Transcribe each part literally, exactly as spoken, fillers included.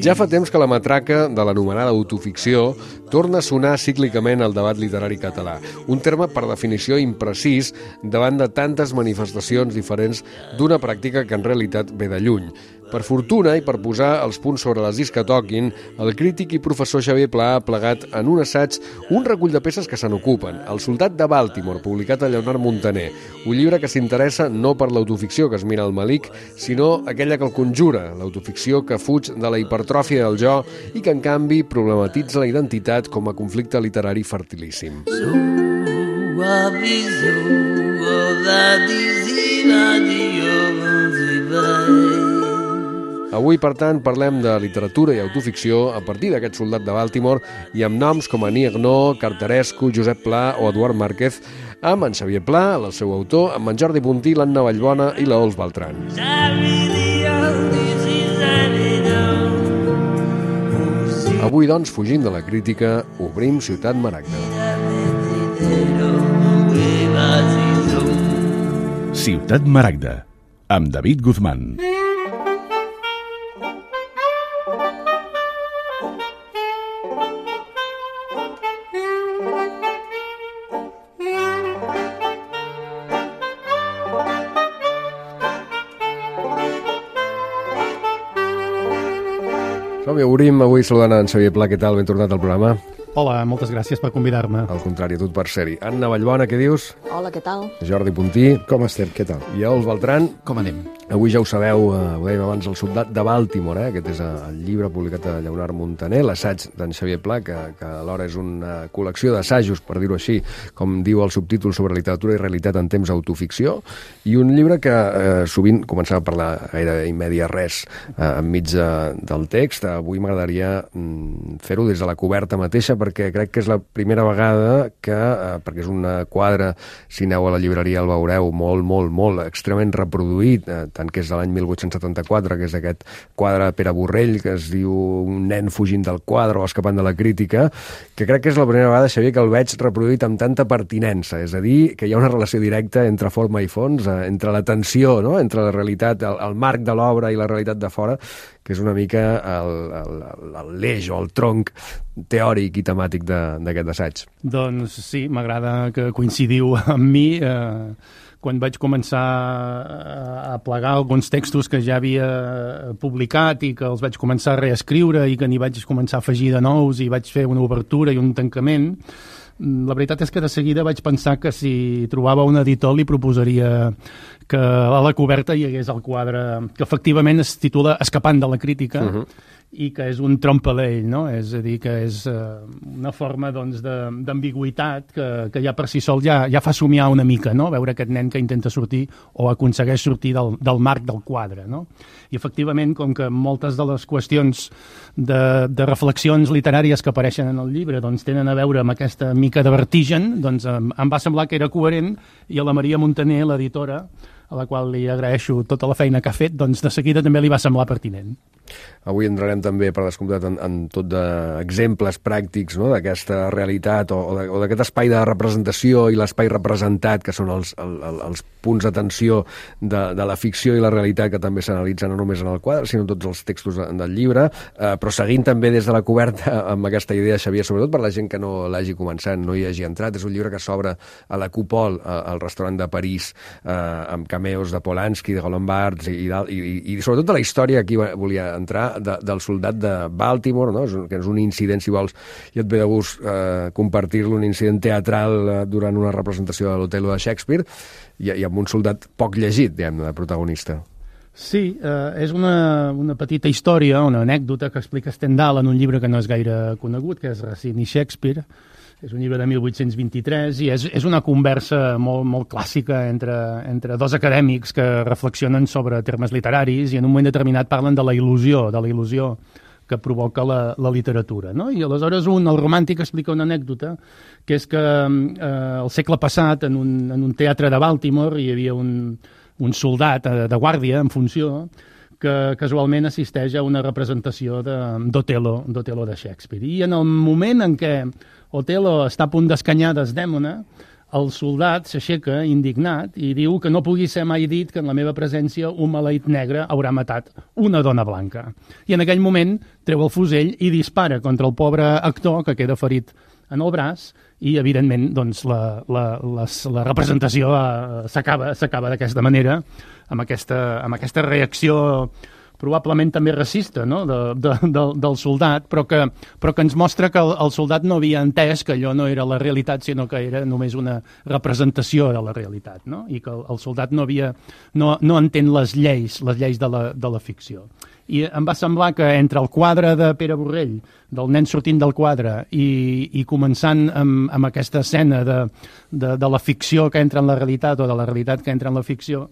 Ja fa temps que la matraca de l'anomenada autoficció torna a sonar cíclicament al debat literari català, un terme per definició imprecís davant de tantes manifestacions diferents d'una pràctica que en realitat ve de lluny. Per fortuna i per posar els punts sobre les is que toquin, el crític i professor Xavier Pla ha plegat en un assaig un recull de peces que se n'ocupen. El soldat de Baltimore, publicat a Lleonard Montaner, un llibre que s'interessa no per l'autoficció que es mira al malic, sinó aquella que el conjura, l'autoficció que fuig de la hipertròfia del jo i que, en canvi, problematitza la identitat com a conflicte literari fertilíssim. Avui, per tant, parlem de literatura i autoficció a partir d'aquest soldat de Baltimore i amb noms com Annie Ernaux, Cartarescu, Josep Pla o Eduard Márquez, amb en Xavier Pla, el seu autor, amb en Jordi Puntí, l'Anna Vallbona i la Ols Beltran. Avui, doncs, fugint de la crítica, obrim Ciutat Maragda. Ciutat Maragda, amb David Guzmán. Som-hi, obrim avui saludant en Xavier Pla. Què tal? Ben tornat al programa. Hola, moltes gràcies per convidar-me. Al contrari, a tu per ser-hi. Anna Vallbona, què dius? Hola, què tal? Jordi Puntí. Com estem? Què tal? I Ols Beltran. Com anem? Avui ja ho sabeu, eh, ho dèiem abans, el soldat de Baltimore, eh? Aquest és el llibre publicat a Lleonard Montaner, l'assaig d'en Xavier Pla, que, que alhora és una col·lecció d'assajos, per dir-ho així, com diu el subtítol, sobre literatura i realitat en temps autoficció, i un llibre que eh, sovint començava a parlar gaire immèdia res eh, enmig de, del text. Avui m'agradaria mm, fer-ho des de la coberta mateixa, perquè crec que és la primera vegada que, eh, perquè és una quadre, si aneu a la llibreria el veureu, molt, molt, molt, extremament reproduït, eh, tant que és de l'any mil vuit-cents setanta-quatre, que és aquest quadre de Pere Borrell, que es diu Un nen fugint del quadre o escapant de la crítica, que crec que és la primera vegada, Xavier, que el veig reproduït amb tanta pertinença, és a dir, que hi ha una relació directa entre forma i fons, eh, entre la tensió, no?, entre la realitat, el, el marc de l'obra i la realitat de fora, que és una mica l'eix o el tronc teòric i temàtic d'aquest assaig. Doncs sí, m'agrada que coincidiu amb mi. Eh, quan vaig començar a plegar alguns textos que ja havia publicat i que els vaig començar a reescriure i que n'hi vaig començar a afegir de nous i vaig fer una obertura i un tancament, la veritat és que de seguida vaig pensar que si trobava un editor li proposaria que a la coberta hi hagués el quadre que efectivament es titula Escapant de la crítica, uh-huh. i que és un trompelell, no? És a dir, que és uh, una forma doncs, d'ambigüitat que, que ja per si sol ja, ja fa somiar una mica, no? Veure aquest nen que intenta sortir o aconsegueix sortir del, del marc del quadre, no? I efectivament, com que moltes de les qüestions de, de reflexions literàries que apareixen en el llibre doncs, tenen a veure amb aquesta mica de vertigen, doncs em, em va semblar que era coherent, i a la Maria Montaner, l'editora, a la qual li agraeixo tota la feina que ha fet, doncs de seguida també li va semblar pertinent. Avui entrarem també, per descomptat, en, en tot d'exemples pràctics, no?, d'aquesta realitat o, o d'aquest espai de representació i l'espai representat, que són els, el, els punts d'atenció de, de la ficció i la realitat, que també s'analitzen no només en el quadre, sinó en tots els textos del llibre, eh, però seguint també des de la coberta amb aquesta idea, Xavier, sobretot per la gent que no l'hagi començat, no hi hagi entrat. És un llibre que s'obre a la Coupole, al restaurant de París, eh, amb cameos de Polanski, de Golombard i, i, i, i sobretot de la història, aquí volia entrar, de, del soldat de Baltimore, no? Que és un incident, si vols, i et ve de gust eh, compartir-lo, un incident teatral eh, durant una representació de l'Otello de Shakespeare, i, i amb un soldat poc llegit, diguem, de protagonista. Sí, eh, és una, una petita història, una anècdota que explica Stendhal en un llibre que no és gaire conegut, que és Racine i Shakespeare. És un llibre de mil vuit-cents vint-i-tres i és, és una conversa molt, molt clàssica entre, entre dos acadèmics que reflexionen sobre termes literaris i en un moment determinat parlen de la il·lusió, de la il·lusió que provoca la, la literatura, no? I aleshores un, el romàntic, explica una anècdota, que és que eh, el segle passat, en un, en un teatre de Baltimore, hi havia un, un soldat de, de guàrdia en funció que casualment assisteix a una representació d'Otello, d'Otello de Shakespeare. I en el moment en què Otello està a punt d'escanyar Desdèmona, el soldat s'aixeca indignat i diu que no pugui ser mai dit que en la meva presència un maleït negre haurà matat una dona blanca. I en aquell moment treu el fusell i dispara contra el pobre actor que queda ferit en el braç i, evidentment, doncs, la, la, la, la representació eh, s'acaba s'acaba d'aquesta manera, amb aquesta, amb aquesta reacció probablement també racista, no? de, de, del, del soldat, però que, però que ens mostra que el, el soldat no havia entès que allò no era la realitat, sinó que era només una representació de la realitat, no? I que el, el soldat no, havia, no, no entén les lleis, les lleis de la, de la ficció. I em va semblar que entre el quadre de Pere Borrell, del nen sortint del quadre, i, i començant amb, amb aquesta escena de, de, de la ficció que entra en la realitat o de la realitat que entra en la ficció,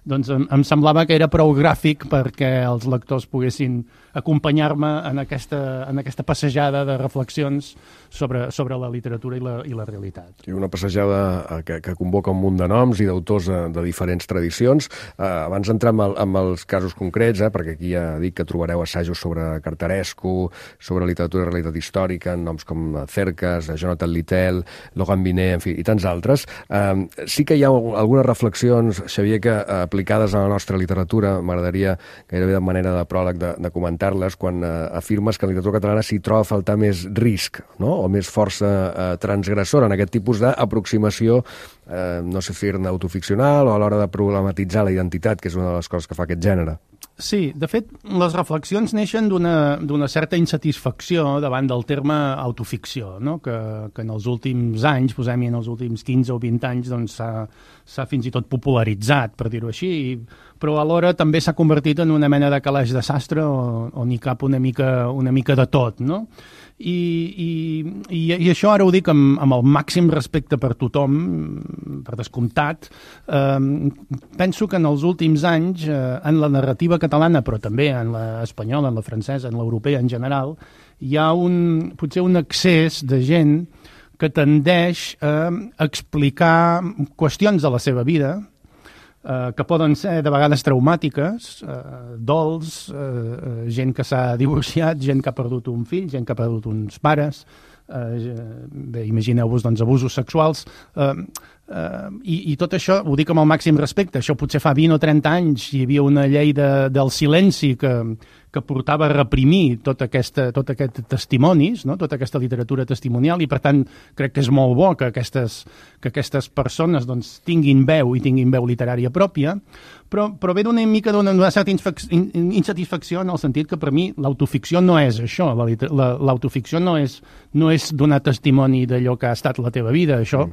doncs em, em semblava que era prou gràfic perquè els lectors poguessin acompanyar-me en aquesta, en aquesta passejada de reflexions sobre, sobre la literatura i la, i la realitat. I una passejada que, que convoca un munt de noms i d'autors de, de diferents tradicions. Eh, abans d'entrar en, el, en els casos concrets, eh, perquè aquí ja dic que trobareu assajos sobre Cartarescu, sobre literatura i realitat històrica, noms com Cercas, Jonathan Littell, Logan Binet, en fi, i tants altres. Eh, sí que hi ha algunes reflexions, Xavier, que eh, aplicades a la nostra literatura, m'agradaria gairebé de manera de pròleg de, de comentar-les, quan eh, afirmes que en la literatura catalana s'hi troba a faltar més risc, no? O més força eh, transgressora en aquest tipus d'aproximació, eh, no sé si era autoficcional o a l'hora de problematitzar la identitat, que és una de les coses que fa aquest gènere. Sí, de fet, les reflexions neixen d'una certa insatisfacció davant del terme autoficció, no? que, que en els últims anys, posem-hi en els últims quinze o vint anys, doncs s'ha fins i tot popularitzat, per dir-ho així, però alhora també s'ha convertit en una mena de calaix de sastre on hi cap una mica, una mica de tot, no? I, i, i, i això ara ho dic amb, amb el màxim respecte per tothom, per descomptat. Eh, penso que en els últims anys, eh, en la narrativa catalana, però també en l'espanyola, en la francesa, en l'europea en general, hi ha un, potser un excés de gent que tendeix a explicar qüestions de la seva vida, eh, que poden ser de vegades traumàtiques, eh, dols, eh, gent que s'ha divorciat, gent que ha perdut un fill, gent que ha perdut uns pares, eh, bé, imagineu-vos doncs, abusos sexuals, eh, eh, i, i tot això ho dic amb el màxim respecte. Això potser fa vint o trenta anys hi havia una llei de, del silenci que, que portava a reprimir tot, aquesta, tot aquest testimonis, no? Tota aquesta literatura testimonial, i per tant crec que és molt bo que aquestes, que aquestes persones doncs, tinguin veu i tinguin veu literària pròpia, però, però ve d'una mica d'una certa insatisfacció en el sentit que per mi l'autoficció no és això, l'autofficció no és, no és donar testimoni d'allò que ha estat la teva vida, això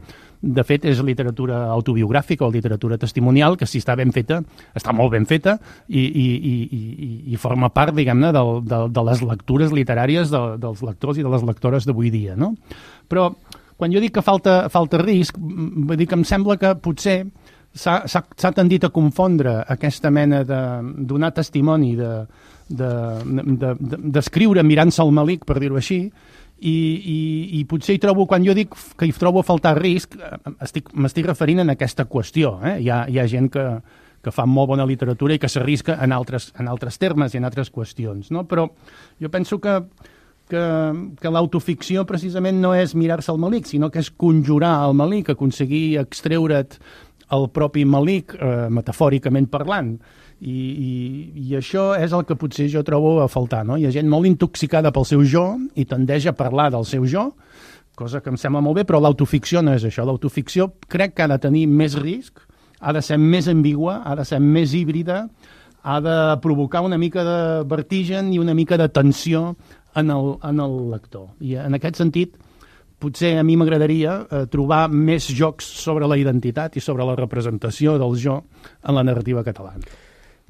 de fet és literatura autobiogràfica o literatura testimonial que si està ben feta, està molt ben feta i, i, i, i, i forma part, diguem-ne, de, de, de les lectures literàries de, dels lectors i de les lectores d'avui dia, no? Però quan jo dic que falta, falta risc, vull dir que em sembla que potser s'ha tendit a confondre aquesta mena de donar testimoni, d'escriure de, de, de, mirant-se al malic, per dir-ho així, i, i, i potser hi trobo, quan jo dic que hi trobo a faltar risc, m'estic referint a aquesta qüestió. Eh? Hi, ha, hi ha gent que, que fa molt bona literatura i que s'arrisca en altres, en altres termes i en altres qüestions, no? Però jo penso que que, que l'autoficció precisament no és mirar-se al malic, sinó que és conjurar el malic, aconseguir extreure't el propi malic, eh, metafòricament parlant. I, i, I això és el que potser jo trobo a faltar, no? Hi ha gent molt intoxicada pel seu jo i tendeix a parlar del seu jo, cosa que em sembla molt bé, però l'autoficció no és això. L'autoficció crec que ha de tenir més risc, ha de ser més ambigua, ha de ser més híbrida, ha de provocar una mica de vertigen i una mica de tensió en el, en el lector. I en aquest sentit, potser a mi m'agradaria eh, trobar més jocs sobre la identitat i sobre la representació del jo en la narrativa catalana.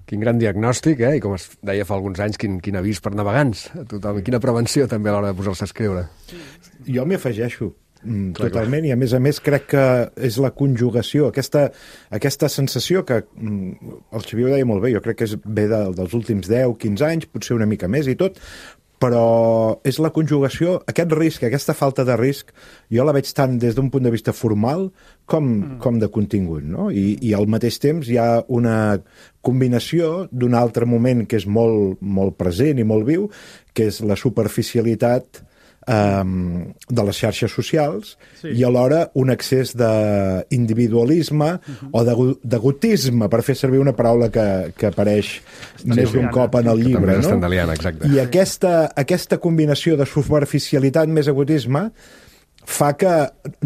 Quin gran diagnòstic, eh? I com es deia fa alguns anys, quin, quin avís per navegants a tothom. I quina prevenció també a l'hora de posar-se a escriure. Jo m'hi afegeixo mm, totalment, i a més a més crec que és la conjugació, aquesta, aquesta sensació que mm, el Xavier ho deia molt bé, jo crec que és ve de, dels últims deu quinze anys, potser una mica més i tot, però és la conjugació, aquest risc, aquesta falta de risc, jo la veig tant des d'un punt de vista formal com, mm. com de contingut, no? I, i al mateix temps hi ha una combinació d'un altre moment que és molt, molt present i molt viu, que és la superficialitat um, de les xarxes socials Sí. i alhora un excés d'individualisme uh-huh. o de- d'egotisme, per fer servir una paraula que, que apareix més d'un cop en el Que llibre. també és No? estendaliana, exacte. I aquesta, aquesta combinació de superficialitat més egotisme fa que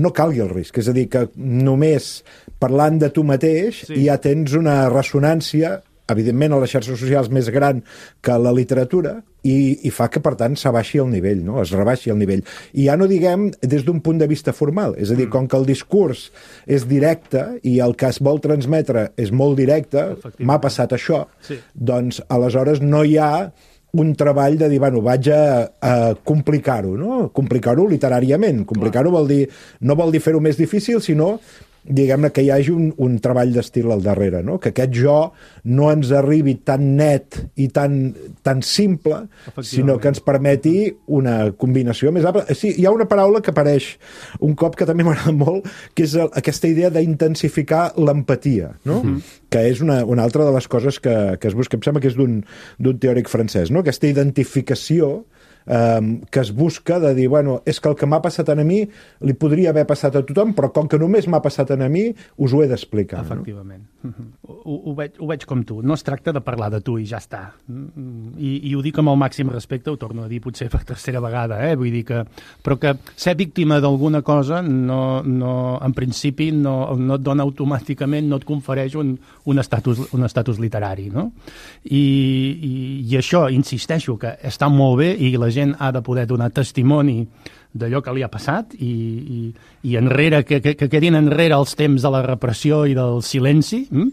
no calgui el risc. És a dir, que només parlant de tu mateix Sí. ja tens una ressonància, evidentment a les xarxes socials més gran que a la literatura, i, i fa que, per tant, s'abaixi el nivell, no? Es rebaixi el nivell. I ja no diguem des d'un punt de vista formal. És a dir, com que el discurs és directe i el que es vol transmetre és molt directe, m'ha passat això, Sí. doncs aleshores no hi ha un treball de dir, bueno, vaig a, a complicar-ho, no? Complicar-ho literàriament. Complicar-ho vol dir, no vol dir fer-ho més difícil, sinó diguem-ne que hi hagi un, un treball d'estil al darrere, no? Que aquest jo no ens arribi tan net i tan, tan simple, sinó que ens permeti una combinació més àmplia. Sí, hi ha una paraula que apareix un cop que també m'agrada molt, que és el, aquesta idea d'intensificar l'empatia, no? Uh-huh. Que és una, una altra de les coses que, que es busca, em sembla que és d'un d'un teòric francès, no? Aquesta identificació Um, que es busca de dir, bueno, és que el que m'ha passat a mi li podria haver passat a tothom, però com que només m'ha passat a mi, us ho he d'explicar. Efectivament. No? Ho, ho, veig, ho veig com tu. No es tracta de parlar de tu i ja està. I, i ho dic amb el màxim respecte, ho torno a dir potser per tercera vegada, eh? Vull dir que... Però que ser víctima d'alguna cosa no, no, en principi no, no et dona automàticament, no et confereix un, un, estatus, un estatus literari, no? I, i, I això, insisteixo, que està molt bé i la gent ha de poder donar testimoni d'allò que li ha passat i, i, i enrere, que, que, que quedin enrere els temps de la repressió i del silenci, hm?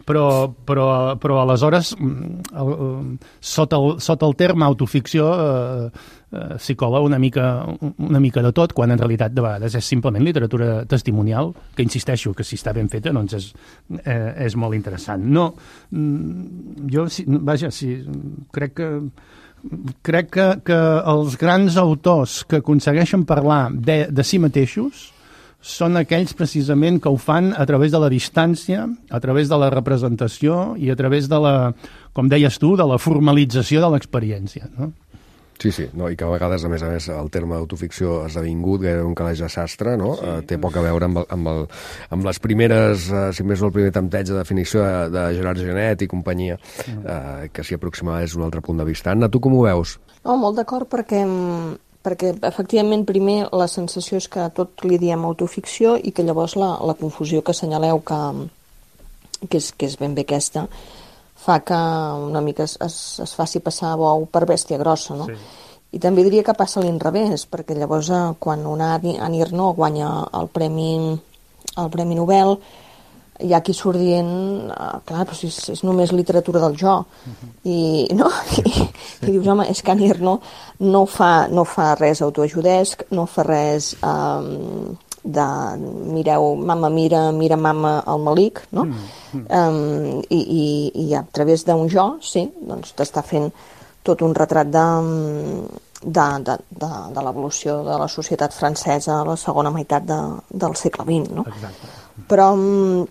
però, però, però aleshores el, sota, el, sota el terme autoficció eh, eh, s'hi cola una mica, una mica de tot, quan en realitat de vegades és simplement literatura testimonial, que insisteixo que si està ben feta doncs és, eh, és molt interessant. No, jo, vaja, sí, crec que crec que, que els grans autors que aconsegueixen parlar de, de si mateixos són aquells precisament que ho fan a través de la distància, a través de la representació i a través de la, com deies tu, de la formalització de l'experiència, no? Sí, sí, no, i que a vegades, a més a més, el terme autoficció ha esdevingut gairebé un calaix de sastre, no? Sí. Uh, té poc a veure amb, el, amb, el, amb les primeres, uh, si més no el primer tempteig de definició de, de Gerard Genet i companyia, uh, que s'hi aproximava des d'un altre punt de vista. Anna, tu com ho veus? No, molt d'acord, perquè, perquè efectivament primer la sensació és que tot li diem autoficció i que llavors la, la confusió que assenyaleu que, que, és, que és ben bé aquesta, fa que una mica es, es, es faci passar bou per bèstia grossa, no? Sí. I també diria que passa a l'inrevés, perquè llavors eh, quan una Annie Ernaux guanya el Premi, el Premi Nobel, hi ha qui surt dient, eh, clar, però si és, és només literatura del jo, uh-huh. i, no? I, sí. I dius, home, és que Annie Ernaux no fa, no fa res autoajudesc, no fa res... Eh, de mireu, mama mira, mira mama al Malik, no? Mm, mm. Um, i, i, I a través d'un jo, sí, doncs t'està fent tot un retrat de, de, de, de, de l'evolució de la societat francesa a la segona meitat de, del segle vint, no? Exacte. Però,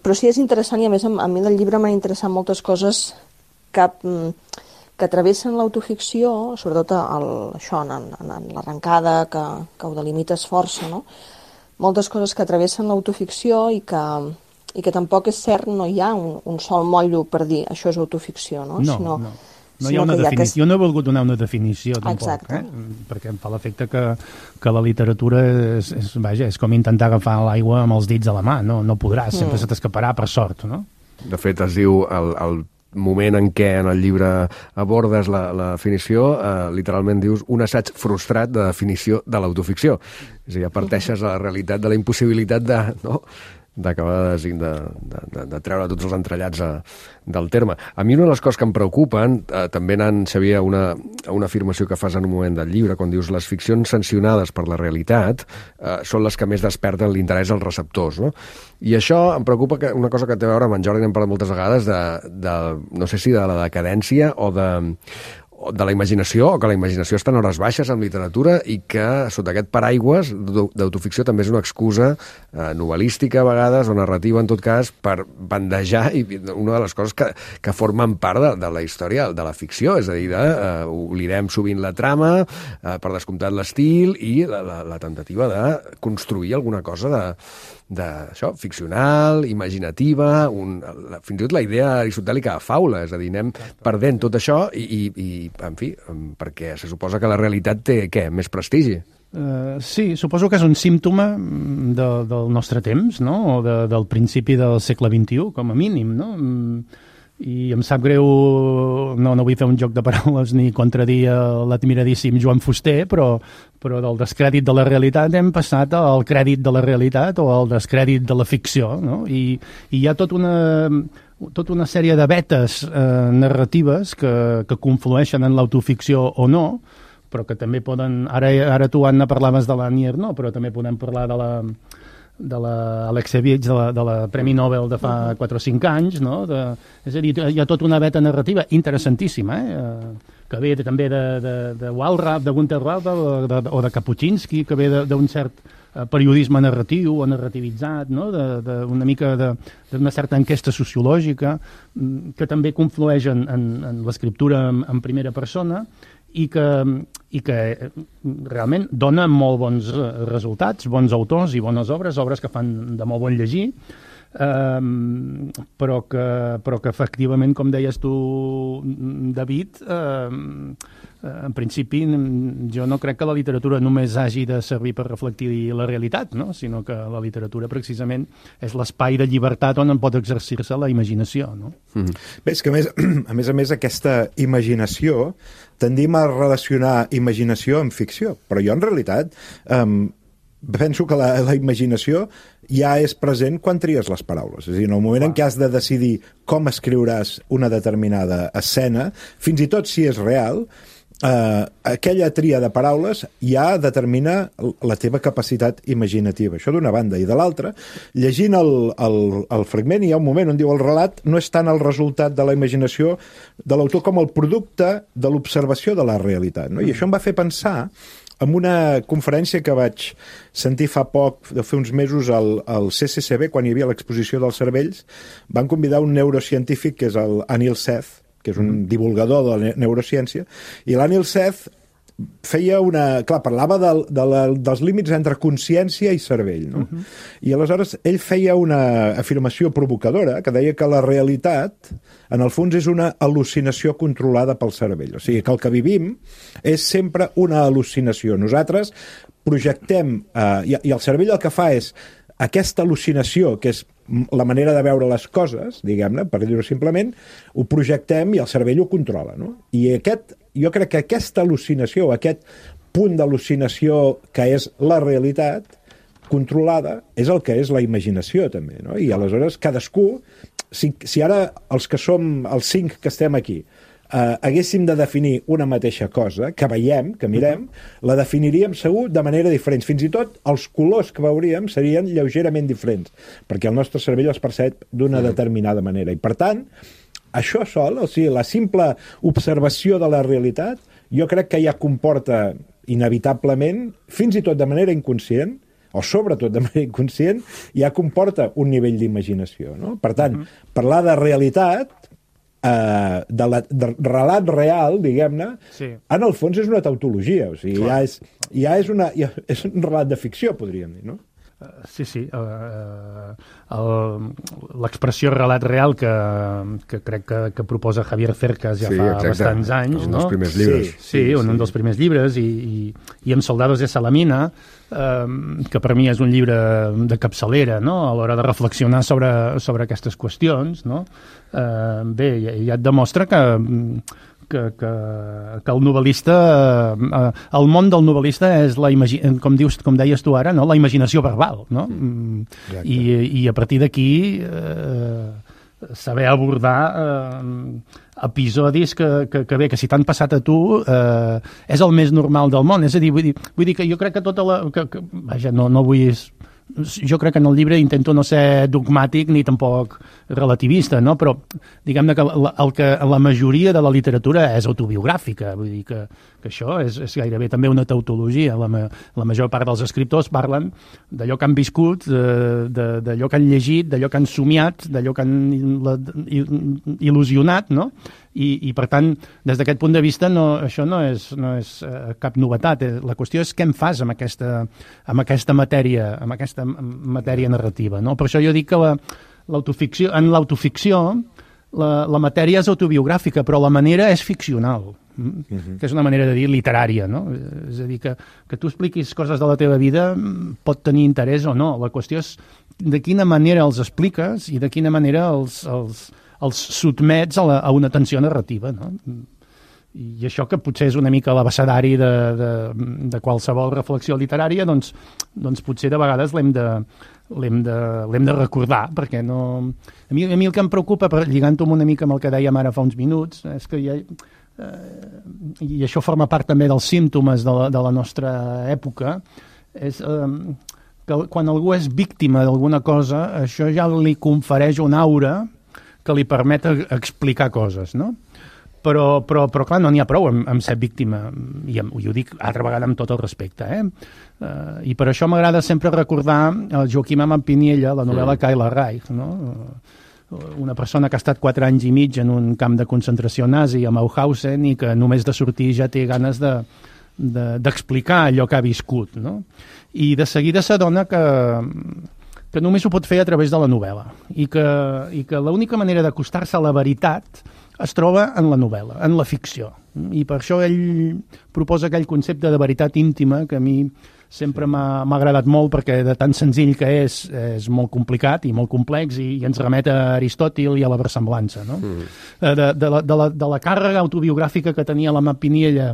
però sí és interessant, i a més a mi del llibre m'han interessat moltes coses que, que travessen l'autoficció, sobretot el, això, en, en, en l'arrencada, que, que ho delimites força, no? Moltes coses que travessen l'autoficció i que, i que tampoc és cert, no hi ha un, un sol motllo per dir això és autoficció, no? No, sinó, no. No hi ha una definició. Jo no he volgut donar una definició, tampoc. Exacte. Eh? Perquè em fa l'efecte que, que la literatura és, és, vaja, és com intentar agafar l'aigua amb els dits a la mà. No, no podràs, sempre mm. se t'escaparà per sort, no? De fet, es diu el, el moment en què en el llibre abordes la, la definició, eh, literalment dius un assaig frustrat de definició de l'autoficció. És a dir, ja parteixes a la realitat de la impossibilitat de, no? d'acabar de, de, de, de treure tots els entrellats a, del terme. A mi una de les coses que em preocupen, eh, també anant, Xavier, a una, a una afirmació que fas en un moment del llibre, quan dius les ficcions sancionades per la realitat eh, són les que més desperten l'interès als receptors, no? I això em preocupa, que una cosa que té a veure amb en Jordi, n'hem parlat moltes vegades, de, de, no sé si de la decadència o de de la imaginació, o que la imaginació està en hores baixes en literatura i que sota aquest paraigües d'autoficció també és una excusa eh, novel·lística a vegades o narrativa en tot cas per bandejar i una de les coses que, que formen part de, de la història de la ficció, és a dir, de, eh, oblidem sovint la trama, eh, per descomptat l'estil i la, la, la tentativa de construir alguna cosa de d'això, ficcional, imaginativa, un, la, fins i tot la idea aristotèlica de faula, és a dir, anem perdent tot això i, i, i en fi, perquè se suposa que la realitat té, què, més prestigi. Uh, sí, suposo que és un símptoma de, del nostre temps, no? O de, del principi del segle vint-i-u, com a mínim, no? I em sap greu, no, no vull fer un joc de paraules ni contradir l'admiradíssim Joan Fuster, però, però del descrèdit de la realitat hem passat al crèdit de la realitat o al descrèdit de la ficció, no? I, i hi ha tot una, tota una sèrie de vetes eh, narratives que, que conflueixen en l'autoficció o no, però que també poden... Ara, ara tu, Anna, parlaves de l'Anier, no? Però també podem parlar de la... de l'Alexievich, de, la, de la Premi Nobel de fa quatre o cinc anys, no? De, és a dir, hi ha tota una veta narrativa interessantíssima, eh? que ve de, també de, de, de Walras, de Gunther Walras o de, o de Kapuscinski, que ve d'un cert periodisme narratiu o narrativitzat, no? de, de, una mica d'una certa enquesta sociològica que també conflueix en, en, en l'escriptura en, en primera persona i que, i que realment dona molt bons resultats, bons autors i bones obres, obres que fan de molt bon llegir, eh, però, que, però que efectivament, com deies tu, David, eh, en principi jo no crec que la literatura només hagi de servir per reflectir la realitat, no? Sinó que la literatura precisament és l'espai de llibertat on en pot exercir-se la imaginació, no? Mm-hmm. Bé, és que a més, a més a més aquesta imaginació tendim a relacionar imaginació amb ficció, però jo en realitat um, penso que la, la imaginació ja és present quan tries les paraules. És a dir, en el moment en què has de decidir com escriuràs una determinada escena, fins i tot si és real, Uh, aquella tria de paraules ja determina la teva capacitat imaginativa. Això d'una banda. I de l'altra, llegint el, el, el fragment, hi ha un moment on diu el relat no és tant el resultat de la imaginació de l'autor com el producte de l'observació de la realitat. No? I això em va fer pensar en una conferència que vaig sentir fa poc, de fer uns mesos, al, al C C C B, quan hi havia l'exposició dels cervells, van convidar un neurocientífic, que és el Anil Seth, que és un divulgador de la neurociència, i l'Anil Seth feia una... Clar, parlava del, de la, dels límits entre consciència i cervell, no? Uh-huh. I aleshores ell feia una afirmació provocadora que deia que la realitat, en el fons, és una al·lucinació controlada pel cervell. O sigui, que el que vivim és sempre una al·lucinació. Nosaltres projectem... Eh, i, i el cervell el que fa és aquesta al·lucinació, que és la manera de veure les coses, diguem-ne, per dir-ho simplement, ho projectem i el cervell ho controla, no? I aquest, jo crec que aquesta al·lucinació, aquest punt d'al·lucinació que és la realitat controlada, és el que és la imaginació, també, no? I aleshores cadascú, si, si ara els que som els cinc que estem aquí, Uh, haguéssim de definir una mateixa cosa, que veiem, que mirem, la definiríem segur de manera diferent. Fins i tot els colors que veuríem serien lleugerament diferents, perquè el nostre cervell els percep d'una determinada manera. I, per tant, això sol, o sigui, la simple observació de la realitat, jo crec que ja comporta inevitablement, fins i tot de manera inconscient, o sobretot de manera inconscient, ja comporta un nivell d'imaginació, no? Per tant, uh-huh. parlar de realitat, Uh, de, la, de relat real, diguem-ne, sí. en el fons és una tautologia, o sigui, ja és, ja és, una, ja és un relat de ficció, podríem dir, no? Uh, sí, sí. Uh, uh, l'expressió relat real que, que crec que, que proposa Javier Cercas ja sí, fa exacte. bastants anys, un no? dels primers llibres. Sí, sí, sí, un, sí. un dels primers llibres, i, i, i amb Soldados de Salamina, uh, que per mi és un llibre de capçalera, no?, a l'hora de reflexionar sobre, sobre aquestes qüestions, no? Uh, bé, ja, ja et demostra que, que, que, que el novel·lista, uh, el món del novel·lista és, la imagi- com, dius, com deies tu ara, no? La imaginació verbal, no? Mm. I, I a partir d'aquí uh, saber abordar uh, episodis que, que, que bé, que si t'han passat a tu uh, és el més normal del món. És a dir, vull dir, vull dir que jo crec que tota la... Que, que, vaja, no, no vull... jo crec que en el llibre intento no ser dogmàtic ni tampoc relativista, no? Però diguem-ne que la, el que la majoria de la literatura és autobiogràfica, vull dir que, que això és, és gairebé també una tautologia. La, la major part dels escriptors parlen d'allò que han viscut, d'allò que han llegit, d'allò que han somiat, d'allò que han il·lusionat, no? I, i per tant, des d'aquest punt de vista, no, això no és, no és uh, cap novetat. La qüestió és què en fas amb aquesta, amb aquesta matèria, amb aquesta matèria narrativa, no? Per això jo dic que la, l'autoficció, en l'autoficció la, la matèria és autobiogràfica, però la manera és ficcional, uh-huh. que és una manera de dir literària, no? És a dir, que, que tu expliquis coses de la teva vida pot tenir interès o no. La qüestió és de quina manera els expliques i de quina manera els... els els sotmets a, la, a una tensió narrativa, no? I això que potser és una mica l'abecedari de, de, de qualsevol reflexió literària, doncs, doncs potser de vegades l'hem de, l'hem de, l'hem de recordar, perquè no... A mi, a mi el que em preocupa, lligant-ho una mica amb el que dèiem ara fa uns minuts, és que hi ha... Eh, i això forma part també dels símptomes de la, de la nostra època, és... Eh, que quan algú és víctima d'alguna cosa, això ja li confereix una aura que li permet explicar coses, no? Però, però, però clar, no n'hi ha prou amb, amb ser víctima, i, amb, i ho dic altra vegada amb tot el respecte, eh? Uh, I per això m'agrada sempre recordar el Joaquim Amat Piniella, la novel·la mm. Kayla Reich, no? Uh, una persona que ha estat quatre anys i mig en un camp de concentració nazi a Mauthausen i que només de sortir ja té ganes de, de, d'explicar allò que ha viscut, no? I de seguida s'adona que... que només ho pot fer a través de la novel·la i que, i que l'única manera d'acostar-se a la veritat es troba en la novel·la, en la ficció. I per això ell proposa aquell concepte de veritat íntima que a mi sempre m'ha, m'ha agradat molt perquè de tan senzill que és, és molt complicat i molt complex i, i ens remet a Aristòtil i a la versemblança, no? Mm. De, de, la, de, la, de la càrrega autobiogràfica que tenia l'Amat Piniella,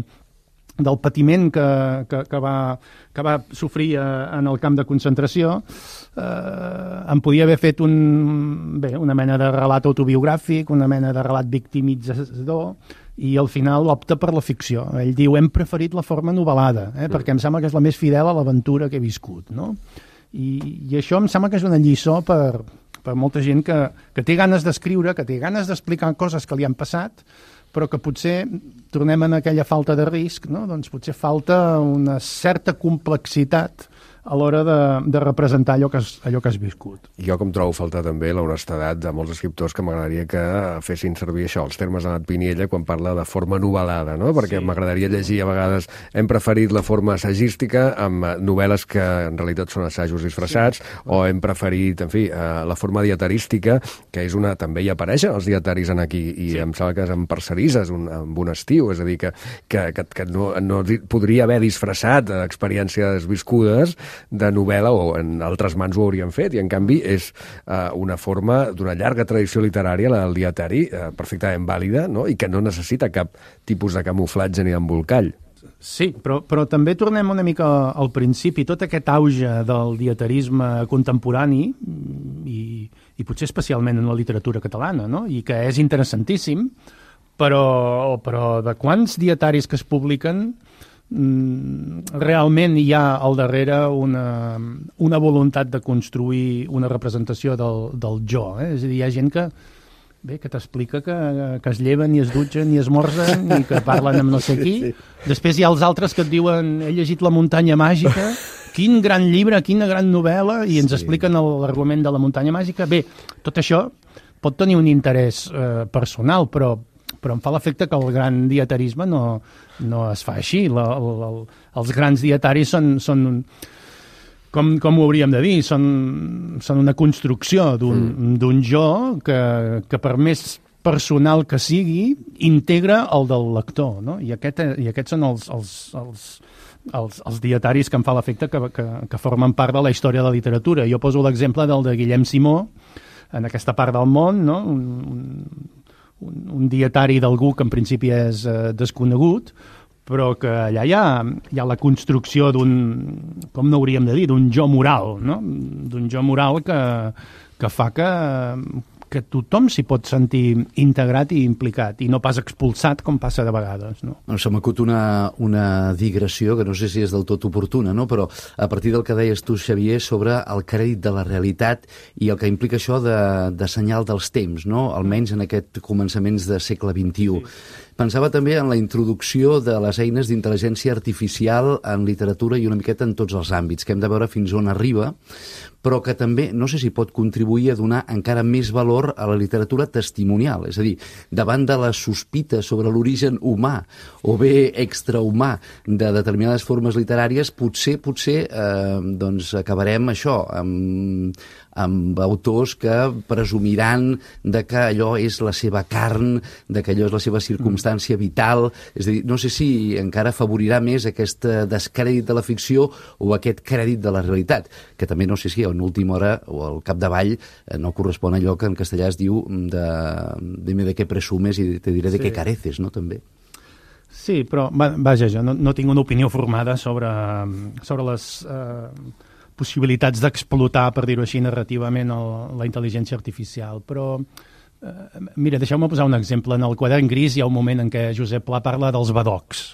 del patiment que, que, que, va, que va sofrir en el camp de concentració, eh, em podia haver fet un, bé, una mena de relat autobiogràfic, una mena de relat victimitzador, i al final opta per la ficció. Ell diu, hem preferit la forma novel·lada, eh, perquè em sembla que és la més fidel a l'aventura que he viscut, no? I, i això em sembla que és una lliçó per, per molta gent que, que té ganes d'escriure, que té ganes d'explicar coses que li han passat, però que potser tornem en aquella falta de risc, no? Doncs potser falta una certa complexitat a l'hora de, de representar allò que, has, allò que has viscut. Jo com trobo faltar també l'honestedat de molts escriptors que m'agradaria que fessin servir això, els termes d'Amat Piniella, quan parla de forma novel·lada, no? Perquè sí. M'agradaria llegir a vegades, hem preferit la forma assagística amb novel·les que en realitat són assajos disfressats, sí. O hem preferit, en fi, la forma dietarística, que és una... també hi apareixen els dietaris en aquí, i sí. Em sembla que és en Parcerisses, un, amb un estiu, és a dir, que, que, que, que no, no podria haver disfressat experiències viscudes de novel·la, o en altres mans ho haurien fet, i en canvi és uh, una forma d'una llarga tradició literària, la del dietari, uh, perfectament vàlida, no? I que no necessita cap tipus de camuflatge ni d'embolcall. Sí, però, però també tornem una mica al principi. Tot aquest auge del dietarisme contemporani, i, i potser especialment en la literatura catalana, no? I que és interessantíssim, però, però de quants dietaris que es publiquen realment hi ha al darrere una, una voluntat de construir una representació del, del jo, eh? És a dir, hi ha gent que, bé, que t'explica que, que es lleven i es dutxen i esmorzen i que parlen amb no sé qui. Sí, sí. Després hi ha els altres que et diuen he llegit La muntanya màgica, quin gran llibre, quina gran novel·la, i ens sí. expliquen l'argument de La muntanya màgica. Bé, tot això pot tenir un interès eh, personal, però però em fa l'efecte que el gran dietarisme no, no es fa així. La, la, els grans dietaris són, són com, com ho hauríem de dir, són, són una construcció d'un mm. d'un jo que, que per més personal que sigui, integra el del lector, no? I, aquest, i aquests són els, els, els, els, els dietaris que em fa l'efecte que, que, que formen part de la història de la literatura. Jo poso l'exemple del de Guillem Simó, en aquesta part del món, no? un, un Un, un dietari d'algú que en principi és eh, desconegut, però que allà hi ha, hi ha la construcció d'un, com no hauríem de dir, d'un jo moral, no? D'un jo moral que, que fa que, que tothom s'hi pot sentir integrat i implicat, i no pas expulsat, com passa de vegades. No? No, se m'acut una, una digressió, que no sé si és del tot oportuna, no? Però a partir del que deies tu, Xavier, sobre el crèdit de la realitat i el que implica això de, de senyal dels temps, no? Almenys en aquest començaments de segle vint-i-u. Sí. Pensava també en la introducció de les eines d'intel·ligència artificial en literatura i una miqueta en tots els àmbits, que hem de veure fins on arriba, però que també, no sé si pot contribuir a donar encara més valor a la literatura testimonial, és a dir, davant de la sospita sobre l'origen humà o bé extrahumà de determinades formes literàries, potser, potser, eh, doncs acabarem això, amb, amb autors que presumiran de que allò és la seva carn, de que allò és la seva circumstància vital, és a dir, no sé si encara afavorirà més aquest descrèdit de la ficció o aquest crèdit de la realitat, que també no sé si en última hora o al capdavall no correspon a allò que en castellà es diu de, dime de què presumes i te diré de sí. què careces, no, també. Sí, però, vaja, jo no, no tinc una opinió formada sobre, sobre les eh, possibilitats d'explotar, per dir-ho així, narrativament el, la intel·ligència artificial, però eh, mira, deixeu-me posar un exemple. En el Quadern Gris hi ha un moment en què Josep Pla parla dels badocs,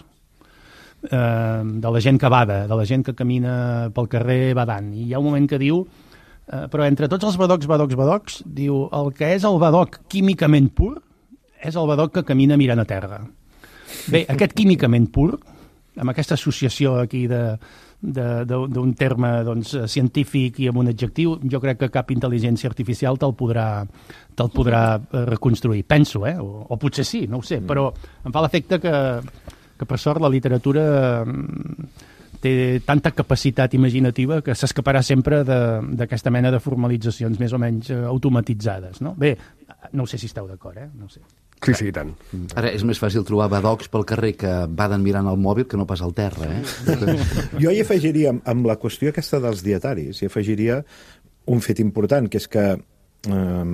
eh, de la gent que bada, de la gent que camina pel carrer badant, i hi ha un moment que diu, eh, però entre tots els badocs, badocs, badocs, diu, el que és el badoc químicament pur és el badoc que camina mirant a terra. Bé, aquest químicament pur, amb aquesta associació aquí de d'un terme doncs, científic i amb un adjectiu, jo crec que cap intel·ligència artificial te'l podrà, te'l podrà reconstruir. Penso, eh? O, o potser sí, no ho sé, però em fa l'efecte que, que per sort la literatura té tanta capacitat imaginativa que s'escaparà sempre d'aquesta mena de formalitzacions més o menys automatitzades. No? Bé, no sé si esteu d'acord, eh? No sé. Sí, sí, i tant. Ara és més fàcil trobar badocs pel carrer que baden mirant al mòbil que no pas al terra, eh? Jo hi afegiria, amb la qüestió aquesta dels dietaris, hi afegiria un fet important, que és que eh,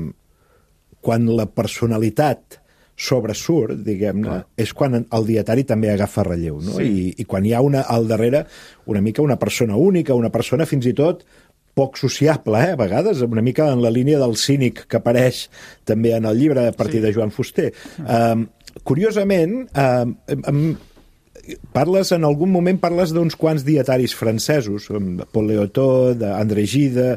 quan la personalitat sobresurt, diguem-ne, és quan el dietari també agafa relleu, no? Sí. I, i quan hi ha una, al darrere una mica una persona única, una persona fins i tot poc sociable, eh, a vegades, una mica en la línia del cínic que apareix també en el llibre a partir sí. de Joan Fuster. Um, curiosament, um, um, parles, en algun moment parles d'uns quants dietaris francesos, Paul Léotot, André Gide,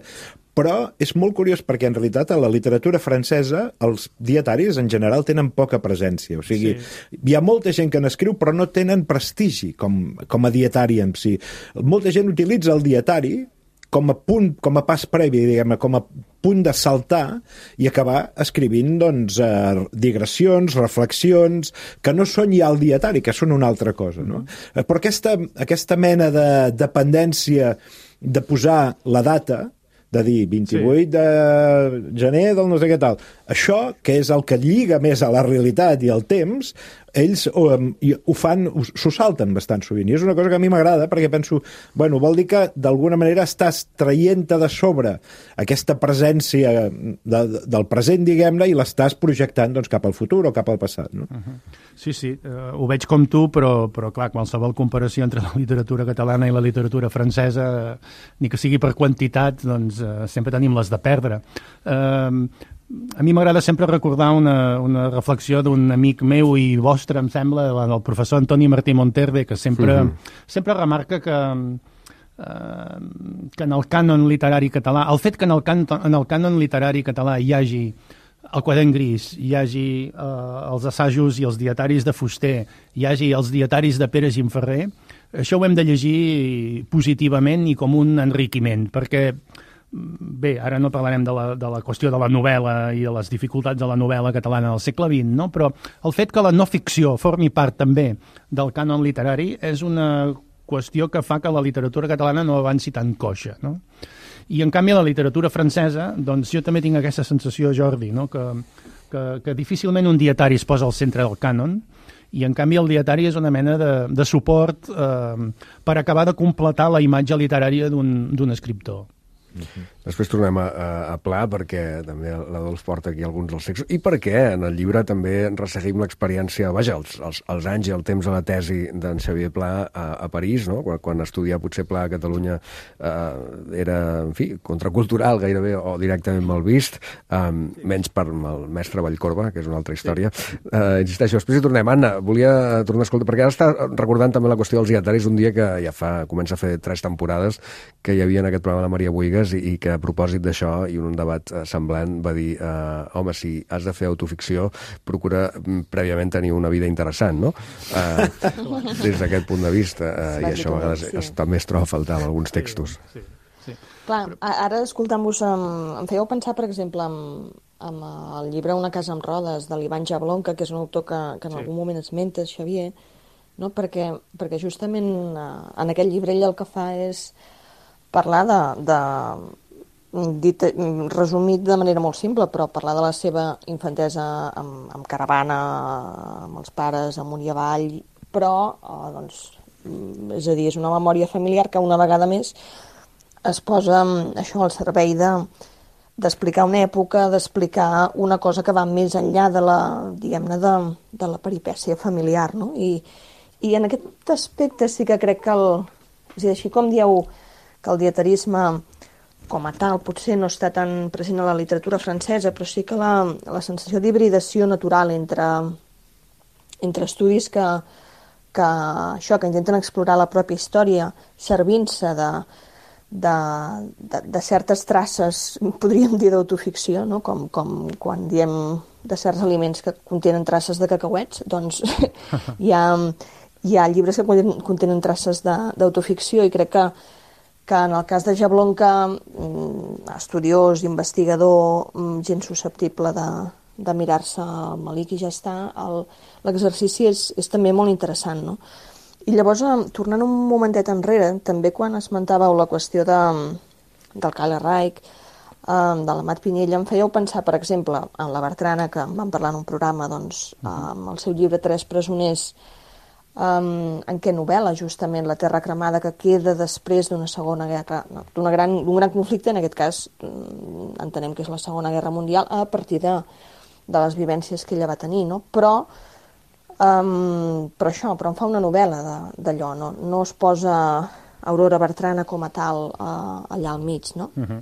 però és molt curiós perquè en realitat a la literatura francesa els dietaris en general tenen poca presència, o sigui, sí. hi ha molta gent que n'escriu però no tenen prestigi com, com a dietari en si. Molta gent utilitza el dietari com a punt, com a pas previ, diguem-ne, com a punt de saltar i acabar escrivint, doncs, eh, digressions, reflexions, que no són ja el dietari, que són una altra cosa, no? Mm-hmm. Però aquesta, aquesta mena de dependència de posar la data, de dir vint-i-vuit sí. de gener del no sé què tal, això, que és el que lliga més a la realitat i al temps, ells ho, ho fan, s'ho salten bastant sovint, i és una cosa que a mi m'agrada perquè penso, bueno, vol dir que d'alguna manera estàs traient-te de sobre aquesta presència de, de, del present, diguem-ne, i l'estàs projectant doncs, cap al futur o cap al passat, no? Uh-huh. Sí, sí, uh, ho veig com tu, però, però clar, qualsevol comparació entre la literatura catalana i la literatura francesa, ni que sigui per quantitat, doncs uh, sempre tenim les de perdre. Uh, A mi m'agrada sempre recordar una, una reflexió d'un amic meu i vostre, em sembla, el professor Antoni Martí Monterde, que sempre, uh-huh. sempre remarca que, eh, que en el cànon literari català, el fet que en el, can, en el cànon literari català hi hagi el Quadern Gris, hi hagi eh, els assajos i els dietaris de Fuster, hi hagi els dietaris de Pere Gimferrer, això ho hem de llegir positivament i com un enriquiment, perquè bé, ara no parlarem de la, de la qüestió de la novel·la i de les dificultats de la novel·la catalana del segle vint, no? Però el fet que la no ficció formi part també del cànon literari és una qüestió que fa que la literatura catalana no avanci tan coixa, no? I en canvi la literatura francesa, doncs jo també tinc aquesta sensació, Jordi, no? que, que, que difícilment un dietari es posa al centre del cànon, i en canvi el dietari és una mena de, de suport eh, per acabar de completar la imatge literària d'un, d'un escriptor. Uh-huh. Després tornem a, a, a Pla, perquè també l'Adolf porta aquí alguns dels textos, i perquè en el llibre també resseguim l'experiència, vaja, els, els, els anys i el temps de la tesi d'en Xavier Pla a, a París, no? quan, quan estudiar potser Pla a Catalunya eh, era, en fi, contracultural gairebé, o directament mal vist, eh, menys per el mestre Vallcorba, que és una altra història. Sí. Eh, insisteixo, després hi tornem. Anna, volia tornar a escoltar, perquè ara està recordant també la qüestió dels dietaris, un dia que ja fa, comença a fer tres temporades que hi havia en aquest programa la Maria Buigas i, i que a propòsit d'això i un debat eh, semblant va dir eh, home, si has de fer autoficció procura mm, prèviament tenir una vida interessant, no? Eh, des d'aquest punt de vista eh, i això a vegades sí. es, també es troba a faltar en alguns textos. Sí, sí, sí. Clar, ara escoltant-vos em, em fèieu pensar, per exemple, amb, amb el llibre Una casa amb rodes de l'Ivan Jablonka, que és un autor que, que en sí. algun moment esmentes, Xavier, no? perquè, perquè justament eh, en aquest llibre ell el que fa és parlar de, de dit, resumit de manera molt simple, però parlar de la seva infantesa amb, amb caravana, amb els pares, amunt i avall, però, eh, doncs, és a dir, és una memòria familiar que una vegada més es posa això al servei de d'explicar una època, d'explicar una cosa que va més enllà de la, diguem-ne, de, de la peripècia familiar, no? I, i en aquest aspecte sí que crec que el, és a dir, així com dieu que el dietarisme com a tal potser no està tan present a la literatura francesa, però sí que la, la sensació d'hibridació natural entre, entre estudis que, que, això, que intenten explorar la pròpia història, servint-se de, de, de, de certes traces, podríem dir d'autoficció, no? com, com quan diem de certs aliments que contenen traces de cacauets, doncs hi ha, hi ha llibres que contenen, contenen traces d'autoficció i crec que que en el cas de Jablonka, estudiós, investigador, gent susceptible de, de mirar-se el malic i ja està, l'exercici és, és també molt interessant, no? I llavors, tornant un momentet enrere, també quan esmentàveu la qüestió de, del Kyle Reich, de l'Amat Pinyella, em fèieu pensar, per exemple, en la Bertrana, que en vam parlar en un programa, doncs, amb el seu llibre Tres presoners, Um, en què novel·la justament la terra cremada que queda després d'una segona guerra, no, d'un gran, gran conflicte, en aquest cas entenem que és la Segona Guerra Mundial, a partir de, de les vivències que ella va tenir, no? Però, um, però això, però en fa una novel·la d'allò, no? No es posa Aurora Bertrana com a tal uh, allà al mig, no? Uh-huh.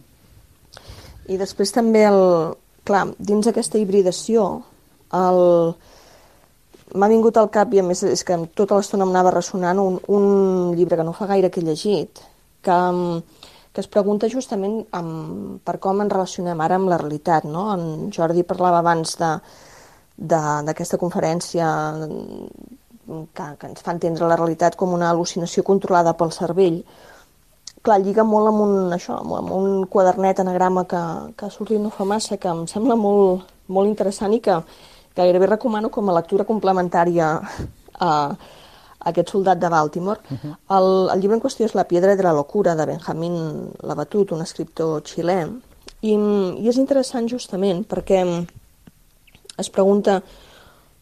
I després també, el, clar, dins aquesta hibridació, el... m'ha vingut al cap, i a més és que tota l'estona em anava ressonant, un, un llibre que no fa gaire que he llegit, que, que es pregunta justament amb, per com ens relacionem ara amb la realitat, no? En Jordi parlava abans d'aquesta conferència que, que ens fa entendre la realitat com una al·lucinació controlada pel cervell. Clar, lliga molt amb un, això, amb un quadernet anagrama que, que ha sortit no fa massa, que em sembla molt, molt interessant i que que gairebé recomano com a lectura complementària a, a aquest soldat de Baltimore. Uh-huh. el, el llibre en qüestió és La piedra de la locura, de Benjamín Labatut, un escriptor xilè, i, i és interessant justament perquè es pregunta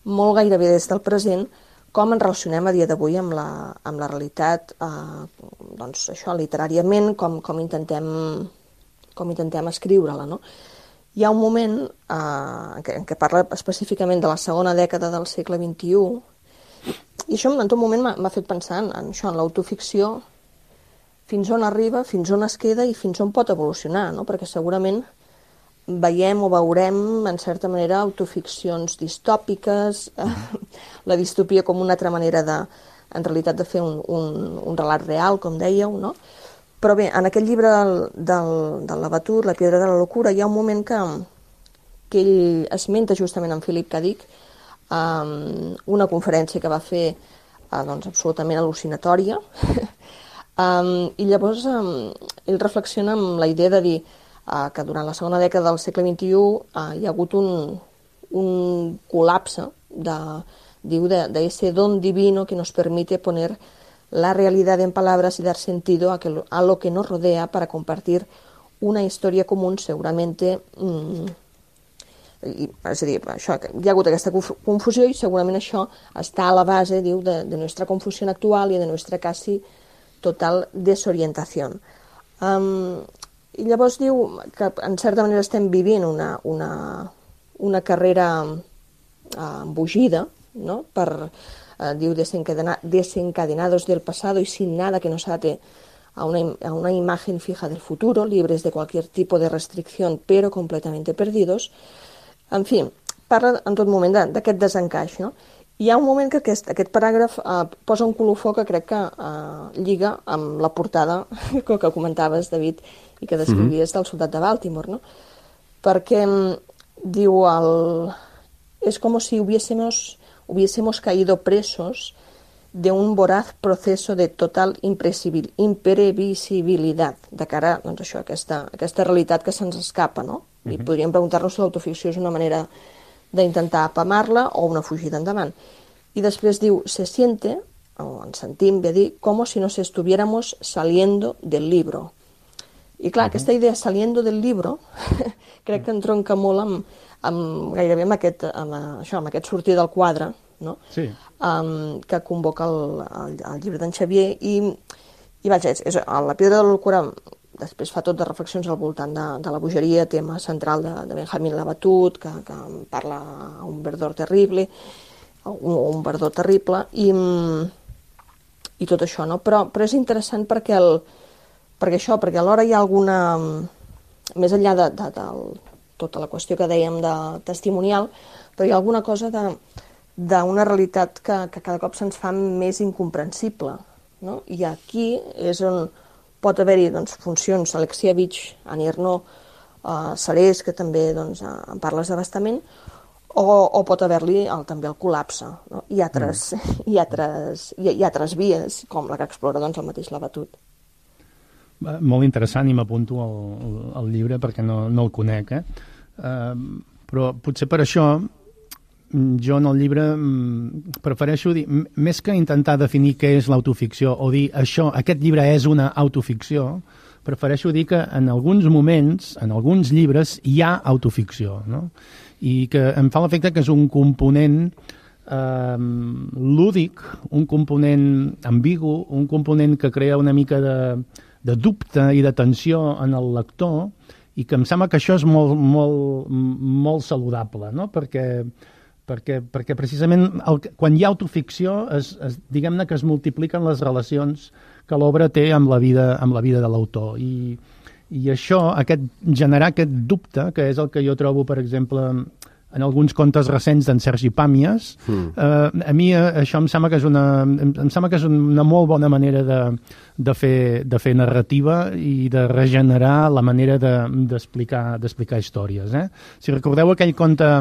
molt gairebé des del present com ens relacionem a dia d'avui amb, la, amb la realitat, eh, doncs això, literàriament, com, com intentem, com intentem escriure-la, no? Hi ha un moment eh, en, què, en què parla específicament de la segona dècada del segle vint-i-u, i això en tot moment m'ha fet pensar en, en això, en l'autoficció, fins on arriba, fins on es queda i fins on pot evolucionar, no? Perquè segurament veiem o veurem, en certa manera, autoficcions distòpiques, eh, la distopia com una altra manera de, en realitat, de fer un, un, un relat real, com dèieu, no? Però bé, en aquest llibre del, del, del Labatut, La piedra de la locura, hi ha un moment que, que ell esmenta justament en Philip K. Dick, um, una conferència que va fer uh, doncs, absolutament al·lucinatòria, um, i llavors um, ell reflexiona amb la idea de dir uh, que durant la segona dècada del segle vint-i-u uh, hi ha hagut un, un col·lapse de, diu, de, de ese don divino que nos permite poner la realidad en palabras y dar sentido a, que, a lo que nos rodea para compartir una historia común seguramente... Mmm, i, és a dir, això, hi ha hagut aquesta confusió i segurament això està a la base, diu, de, de nuestra confusión actual y de nuestra casi total desorientación. Um, I llavors diu que en certa manera estem vivint una, una, una carrera eh, embogida, ¿no? Per, eh, diu, desencadena, desencadenados del pasado y sin nada que nos ate a una, a una imagen fija del futuro, libres de cualquier tipo de restricción, pero completamente perdidos. En fi, parla en tot moment d'aquest desencaix, no? Hi ha un moment que aquest, aquest paràgraf eh, posa un colofó que crec que eh, lliga amb la portada que, que comentaves, David, i que descrivies del Soldat de Baltimore, no? Perquè diu, el, és com si hubiésemos, hubiésemos caído presos de un voraz proceso de total imprevisibilitat, de cara doncs, això, a aquesta, aquesta realitat que se'ns escapa, no? I uh-huh. podríem preguntar-nos si l'autoficció és una manera d'intentar apamar-la o una fugida endavant. I després diu, se siente, o ens sentim, ve a dir, com si nos estuviéramos saliendo del libro. I clar, uh-huh. aquesta idea saliendo del libro crec que entronca molt amb, amb gairebé amb aquest, amb, això, amb aquest sortir del quadre, no? Sí. Um, que convoca el, el, el llibre d'en Xavier i, i vaja, és, és, la Piedra de la Locura després fa tot de reflexions al voltant de, de la bogeria, tema central de, de Benjamin Labatut, que, que parla un verdor terrible, un, un verdor terrible, i, i tot això, no? Però, però és interessant perquè, el, perquè això, perquè alhora hi ha alguna, més enllà de, de, de tota la qüestió que dèiem de testimonial, però hi ha alguna cosa de d'una realitat que, que cada cop se'ns fa més incomprensible, no? I aquí és on pot haver-hi doncs, funcions, Alexievich, Annie Ernaux, uh, Serés, que també doncs, en parles abastament, o, o pot haver-li el, també el col·lapse, no? I altres, mm. i, altres, i, i altres vies, com la que explora doncs, el mateix Labatut. Molt interessant, i m'apunto al, al llibre perquè no, no el conec, eh? Uh, però potser per això jo en el llibre prefereixo dir, més que intentar definir què és l'autoficció o dir això, aquest llibre és una autoficció, prefereixo dir que en alguns moments, en alguns llibres, hi ha autoficció, no? I que em fa l'efecte que és un component eh, lúdic, un component ambigu, un component que crea una mica de, de dubte i de tensió en el lector, i que em sembla que això és molt, molt, molt saludable, no? Perquè Perquè, perquè precisament el, quan hi ha autoficció, es, es, diguem-ne que es multipliquen les relacions que l'obra té amb la vida, amb la vida de l'autor. I, i això, aquest, generar aquest dubte, que és el que jo trobo, per exemple, en alguns contes recents d'en Sergi Pàmies, mm. eh, a mi això em sembla que és una, em sembla que és una molt bona manera de, de, fer, de fer narrativa i de regenerar la manera de, d'explicar, d'explicar històries. Eh? Si recordeu aquell conte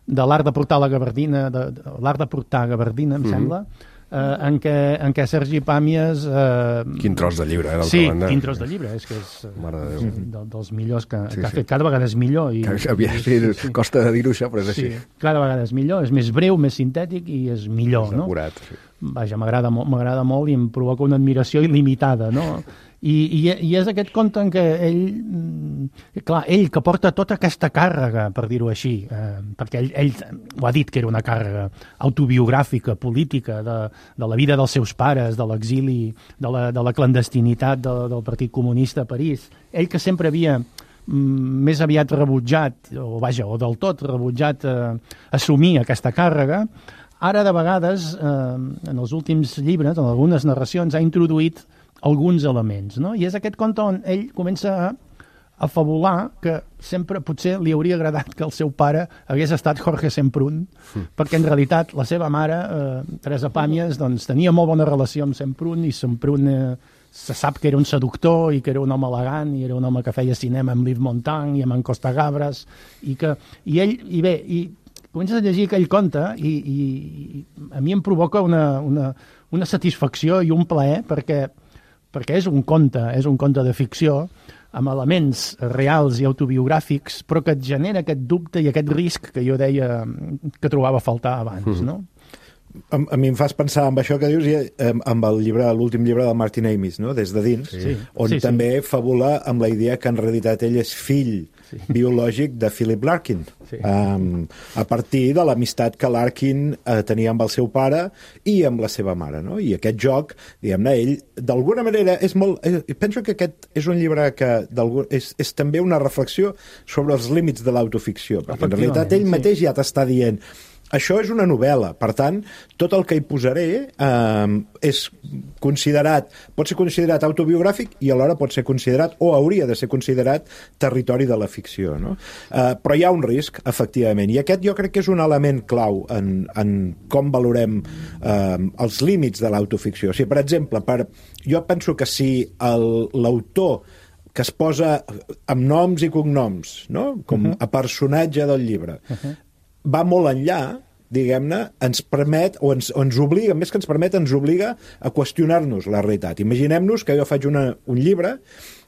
de l'art de portar la gabardina, de, de, l'art de portar gabardina, em mm-hmm. sembla, eh, en, què, en què Sergi Pàmies... Eh, quin tros de llibre, eh, d'altra sí, banda. quin tros de llibre, és que és Mare de Déu. de, dels millors que, sí, que ha sí. fet, cada vegada és millor. I, que, sí, sí, sí. Costa de dir-ho això, però és així. Sí, cada vegada és millor, és més breu, més sintètic i és millor, no? Acurat, sí. Vaja, m'agrada molt, m'agrada molt i em provoca una admiració il·limitada, no? I, i, i és aquest conte en què ell, clar, ell que porta tota aquesta càrrega, per dir-ho així, eh, perquè ell, ell ho ha dit que era una càrrega autobiogràfica, política, de, de la vida dels seus pares, de l'exili, de la, de la clandestinitat de, del Partit Comunista a París. Ell que sempre havia més aviat rebutjat, o vaja, o del tot rebutjat eh, assumir aquesta càrrega, ara de vegades, eh, en els últims llibres, en algunes narracions, ha introduït alguns elements, no? I és aquest conte on ell comença a, a fabular que sempre potser li hauria agradat que el seu pare hagués estat Jorge Semprún, mm. perquè en realitat la seva mare, eh, Teresa Pàmies, doncs, tenia molt bona relació amb Semprún, i Semprún eh, se sap que era un seductor i que era un home elegant i era un home que feia cinema amb Yves Montand i amb en Costa Gabras, i que i ell, i bé, i comences a llegir aquell conte i, i, i a mi em provoca una, una, una satisfacció i un plaer perquè perquè és un conte, és un conte de ficció, amb elements reals i autobiogràfics, però que et genera aquest dubte i aquest risc que jo deia que trobava a faltar abans, no? a, a mi em fas pensar amb això que dius i amb el llibre, l'últim llibre del Martin Amis, no? Des de dins, sí. on sí, també sí. fabula amb la idea que en realitat ell és fill sí. biològic de Philip Larkin, sí. um, a partir de l'amistat que Larkin uh, tenia amb el seu pare i amb la seva mare, no? I aquest joc, diguem-ne, ell d'alguna manera és molt... Eh, penso que aquest és un llibre que és, és també una reflexió sobre els límits de l'autoficció, perquè en realitat ell mateix sí. ja t'està dient això és una novel·la, per tant, tot el que hi posaré eh, és considerat, pot ser considerat autobiogràfic i alhora pot ser considerat, o hauria de ser considerat, territori de la ficció, no? Eh, però hi ha un risc, efectivament, i aquest jo crec que és un element clau en, en com valorem eh, els límits de l'autoficció. O sigui, per exemple, per, jo penso que si l'autor que es posa amb noms i cognoms, no? Com uh -huh. a personatge del llibre, uh -huh. va molt enllà, diguem-ne, ens permet, o ens, o ens obliga, més que ens permet, ens obliga a qüestionar-nos la realitat. Imaginem-nos que jo faig una, un llibre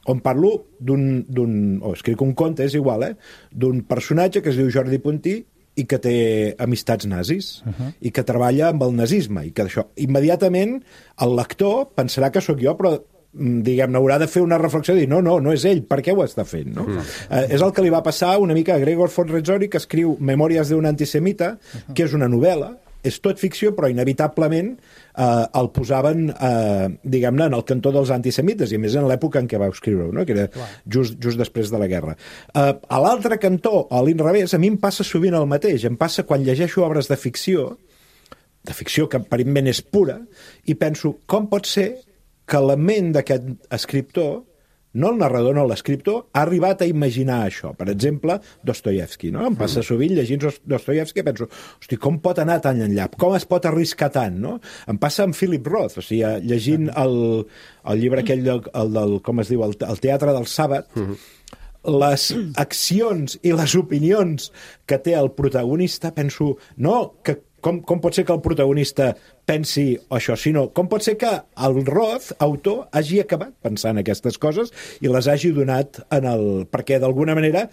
on parlo d'un, o escric un conte, és igual, eh? D'un personatge que es diu Jordi Puntí i que té amistats nazis, uh -huh. i que treballa amb el nazisme, i que això, immediatament, el lector pensarà que sóc jo, però diguem-ne, haurà de fer una reflexió i dir, no, no, no és ell, per què ho està fent, no? Mm. Eh, és el que li va passar una mica a Gregor von Retzori, que escriu Memòries d'un antisemita, uh-huh. que és una novel·la, és tot ficció, però inevitablement eh, el posaven, eh, diguem-ne, en el cantó dels antisemites, i a més en l'època en què va escriure-ho, no? Que era just, just després de la guerra. Eh, a l'altre cantó, a l'inrevés, a mi em passa sovint el mateix. Em passa quan llegeixo obres de ficció, de ficció que aparentment és pura, i penso, com pot ser que la ment d'aquest escriptor, no el narrador, no l'escriptor, ha arribat a imaginar això. Per exemple, Dostoyevsky, no? Em passa sovint llegint Dostoyevsky i penso, hosti, com pot anar tan enllà? Com es pot arriscar tant, no? Em passa amb Philip Roth, o sigui, llegint el, el llibre aquell, del, el del, com es diu, el, el Teatre del Sàbat, les accions i les opinions que té el protagonista, penso, no, que Com, com pot ser que el protagonista pensi això, sinó com pot ser que el Roth, autor, hagi acabat pensant aquestes coses i les hagi donat en el... perquè d'alguna manera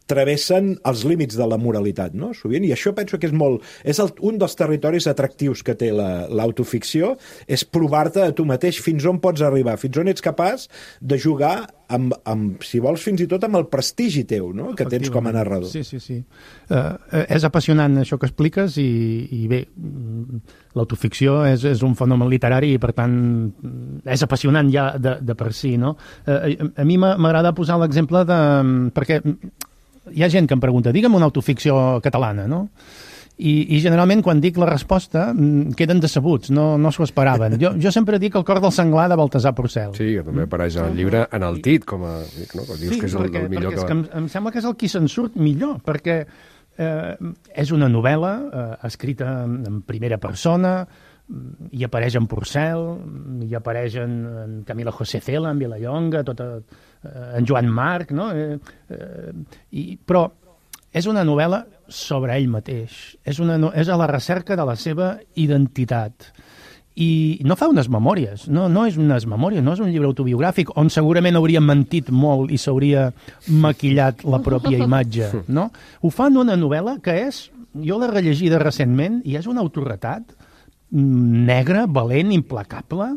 travessen els límits de la moralitat, no? Sovint, i això penso que és molt... És el, un dels territoris atractius que té l'autoficció, és provar-te a tu mateix fins on pots arribar, fins on ets capaç de jugar amb, amb, si vols, fins i tot amb el prestigi teu, no?, que tens com a narrador. Sí, sí, sí. Uh, és apassionant això que expliques i, i bé, l'autoficció és, és un fenomen literari i, per tant, és apassionant ja de, de per si, no? Uh, a, a mi m'agrada posar l'exemple de... perquè hi ha gent que em pregunta, digue'm una autoficció catalana, no? I, i generalment quan dic la resposta queden decebuts, no, no s'ho esperaven. Jo, jo sempre dic El cor del senglar de Baltasar Porcel. Sí, que també apareix al llibre enaltit, com a... No? Dius sí, que és el, perquè, el millor perquè que... És que em, em sembla que és el qui se'n surt millor, perquè eh, és una novel·la eh, escrita en primera persona, hi apareix en Porcel, hi apareix en, en Camila José Cela, en Vilallonga, tota, eh, en Joan Marc, no? Eh, eh, i, però és una novel·la sobre ell mateix, és, una, és a la recerca de la seva identitat. I no fa unes memòries, no, no és unes memòries, no és un llibre autobiogràfic on segurament hauria mentit molt i s'hauria maquillat la pròpia imatge, no? Ho fa en una novel·la que és, jo l'he rellegida recentment, i és un autorretrat negre, valent, implacable,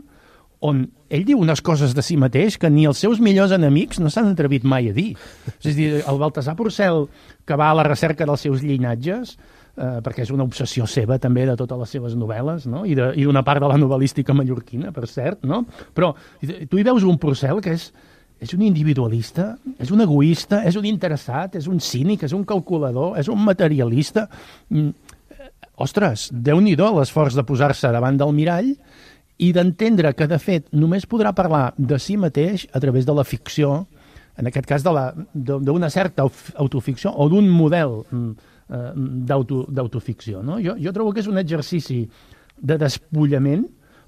on ell diu unes coses de si mateix que ni els seus millors enemics no s'han atrevit mai a dir. És a dir, el Baltasar Porcel, que va a la recerca dels seus llinatges, eh, perquè és una obsessió seva també de totes les seves novel·les, no? I d'una part de la novel·lística mallorquina, per cert, no? Però tu hi veus un Porcel que és, és un individualista, és un egoista, és un interessat, és un cínic, és un calculador, és un materialista. Ostres, Déu-n'hi-do l'esforç de posar-se davant del mirall i d'entendre que, de fet, només podrà parlar de si mateix a través de la ficció, en aquest cas d'una certa autoficció o d'un model eh, d'autoficció. No? Jo, jo trobo que és un exercici de despullament,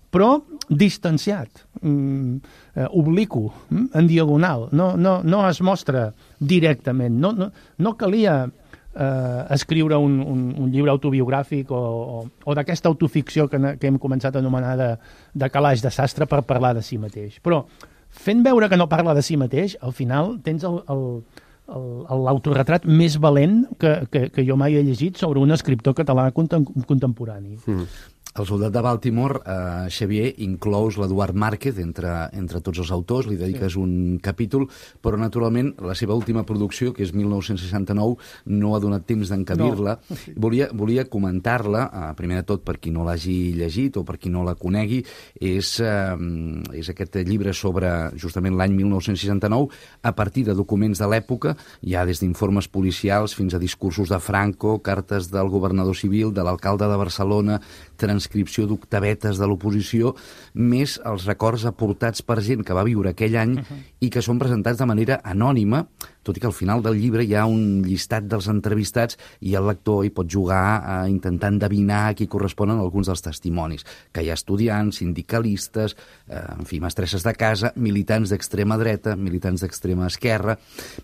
però distanciat, mm, eh, obliqu, mm, en diagonal. No, no, no es mostra directament. No, no, no calia eh, escriure un, un, un llibre autobiogràfic o, o, o d'aquesta autoficció que, que hem començat a anomenar de, de calaix de sastre per parlar de si mateix. Però fent veure que no parla de si mateix, al final tens el, el, el, l'autoretrat més valent que, que, que jo mai he llegit sobre un escriptor català contem, contemporani. Mm. El soldat de Baltimore, eh, Xavier, inclous l'Eduard Márquez entre, entre tots els autors, li dediques sí. un capítol, però naturalment la seva última producció, que és mil nou-cents seixanta-nou, no ha donat temps d'encabir-la. No. Sí. Volia, volia comentar-la, eh, primer de tot per qui no l'hagi llegit o per qui no la conegui, és, eh, és aquest llibre sobre justament l'any mil nou-cents seixanta-nou, a partir de documents de l'època, ja des d'informes policials fins a discursos de Franco, cartes del governador civil, de l'alcalde de Barcelona, transcripció d'octavetes de l'oposició, més els records aportats per gent que va viure aquell any uh-huh. i que són presentats de manera anònima, tot i que al final del llibre hi ha un llistat dels entrevistats i el lector hi pot jugar a intentar endevinar a qui corresponen alguns dels testimonis, que hi ha estudiants, sindicalistes, eh, en fi, mestresses de casa, militants d'extrema dreta, militants d'extrema esquerra.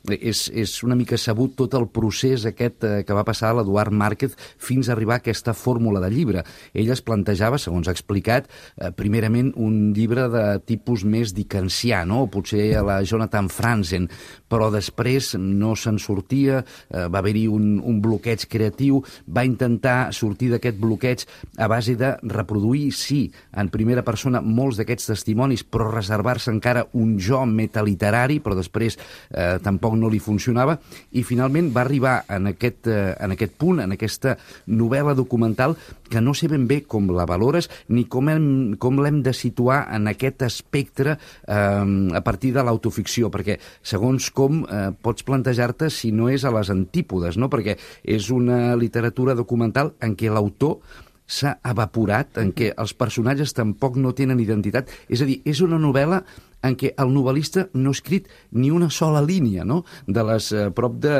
És, és una mica sabut tot el procés aquest eh, que va passar a l'Eduard Márquez fins a arribar a aquesta fórmula de llibre. Ell es plantejava, segons ha explicat, eh, primerament un llibre de tipus més dickensià, no? O potser a la Jonathan Franzen, però després no se'n sortia, eh, va haver-hi un, un bloqueig creatiu, va intentar sortir d'aquest bloqueig a base de reproduir, sí, en primera persona molts d'aquests testimonis, però reservar-se encara un jo metaliterari, però després eh, tampoc no li funcionava, i finalment va arribar en aquest, eh, en aquest punt, en aquesta novel·la documental, que no sé ben bé com la valores ni com, hem, com l'hem de situar en aquest espectre eh, a partir de l'autoficció, perquè segons com eh, pots plantejar-te si no és a les antípodes, no? Perquè és una literatura documental en què l'autor s'ha evaporat, en què els personatges tampoc no tenen identitat. És a dir, és una novel·la en què el novel·lista no ha escrit ni una sola línia, no?, de les eh, prop de...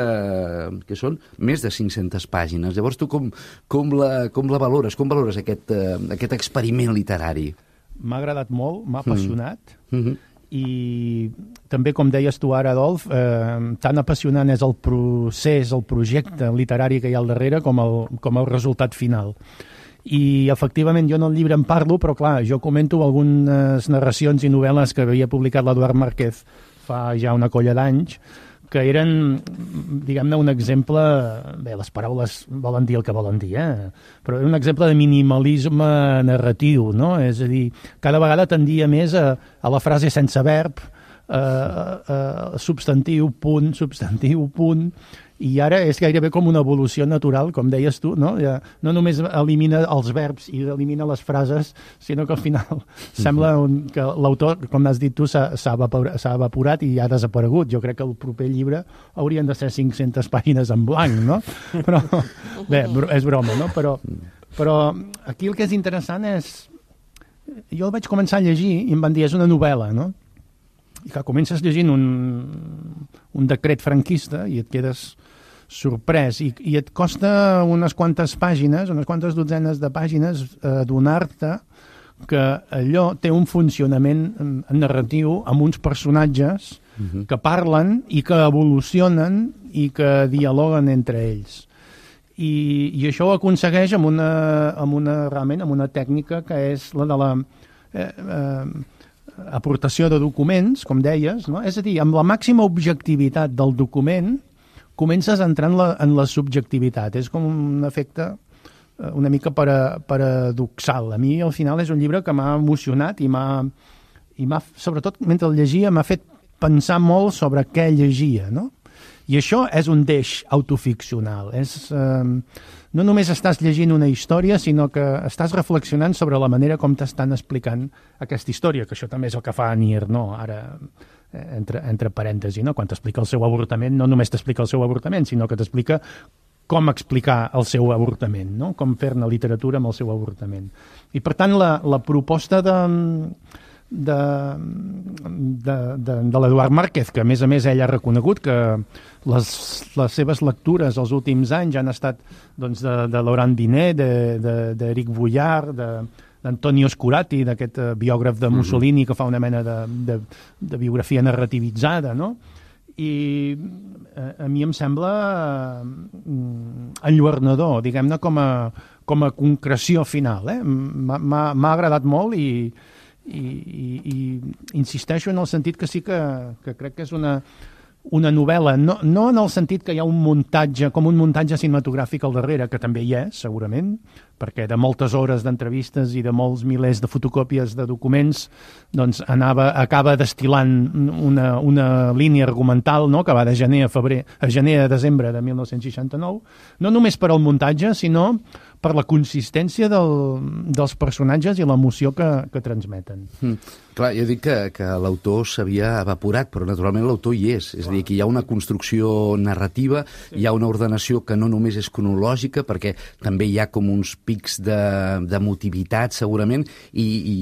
que són més de cinc-centes pàgines. Llavors, tu com, com, la, com la valores? Com valores aquest, eh, aquest experiment literari? M'ha agradat molt, m'ha apassionat, mm. mm-hmm. i també, com deies tu ara, Adolf, eh, tan apassionant és el procés, el projecte literari que hi ha al darrere com el, com el resultat final. I, efectivament, jo en el llibre en parlo, però, clar, jo comento algunes narracions i novel·les que havia publicat l'Eduard Márquez fa ja una colla d'anys, que eren, diguem-ne, un exemple... Bé, les paraules volen dir el que volen dir, eh? Però era un exemple de minimalisme narratiu, no? És a dir, cada vegada tendia més a, a la frase sense verb, eh, eh, substantiu, punt, substantiu, punt... I ara és gairebé com una evolució natural, com deies tu, no? Ja, no només elimina els verbs i elimina les frases, sinó que al final sembla un, que l'autor, com has dit tu, s'ha evaporat, evaporat i ha desaparegut. Jo crec que el proper llibre haurien de ser cinc-centes pàgines en blanc, no? Però, bé, és broma, no? Però, però aquí el que és interessant és... Jo el vaig començar a llegir i em van dir, és una novel·la, no? I que comences llegint un, un decret franquista i et quedes sorprès i, i et costa unes quantes pàgines, unes quantes dotzenes de pàgines eh, adonar-te que allò té un funcionament narratiu amb uns personatges uh-huh. que parlen i que evolucionen i que dialoguen entre ells. I, i això ho aconsegueix amb una, amb una, realment, amb una tècnica que és la de la... Eh, eh, aportació de documents, com deies, no? És a dir, amb la màxima objectivitat del document comences a entrar en la, en la subjectivitat. És com un efecte una mica para, paradoxal. A mi, al final, és un llibre que m'ha emocionat i m'ha, i m'ha, sobretot, mentre el llegia, m'ha fet pensar molt sobre què llegia, no? I això és un deix autoficcional. És... Eh, no només estàs llegint una història, sinó que estàs reflexionant sobre la manera com t'estan explicant aquesta història, que això també és el que fa Nier, no? Ara, entre, entre parèntesi, no? Quan t'explica el seu avortament, no només t'explica el seu avortament, sinó que t'explica com explicar el seu avortament, no? Com fer-ne literatura amb el seu avortament. I, per tant, la, la proposta de... de, de, de, de l'Eduard Márquez, que a més a més ell ha reconegut que les, les seves lectures els últims anys han estat doncs, de, de Laurent Binet, d'Eric Vuillard, de, d'Antonio Scurati, d'aquest biògraf de Mussolini que fa una mena de, de, de biografia narrativitzada, no? I a, a mi em sembla enlluernador, diguem-ne, com a, com a concreció final. Eh? M'ha agradat molt i I, i, i insisteixo en el sentit que sí que, que crec que és una, una novel·la, no, no en el sentit que hi ha un muntatge, com un muntatge cinematogràfic al darrere, que també hi és, segurament, perquè de moltes hores d'entrevistes i de molts milers de fotocòpies de documents doncs anava, acaba destil·lant una, una línia argumental, no?, que va de gener a febrer, a gener a desembre de mil nou-cents seixanta-nou, no només per al muntatge, sinó per la consistència del, dels personatges i l'emoció que, que transmeten. Mm. Clar, jo dic que, que l'autor s'havia evaporat, però naturalment l'autor hi és. És a dir, que hi ha una construcció narrativa, sí. Hi ha una ordenació que no només és cronològica, perquè també hi ha com uns pics de, de motivitat, segurament, i, i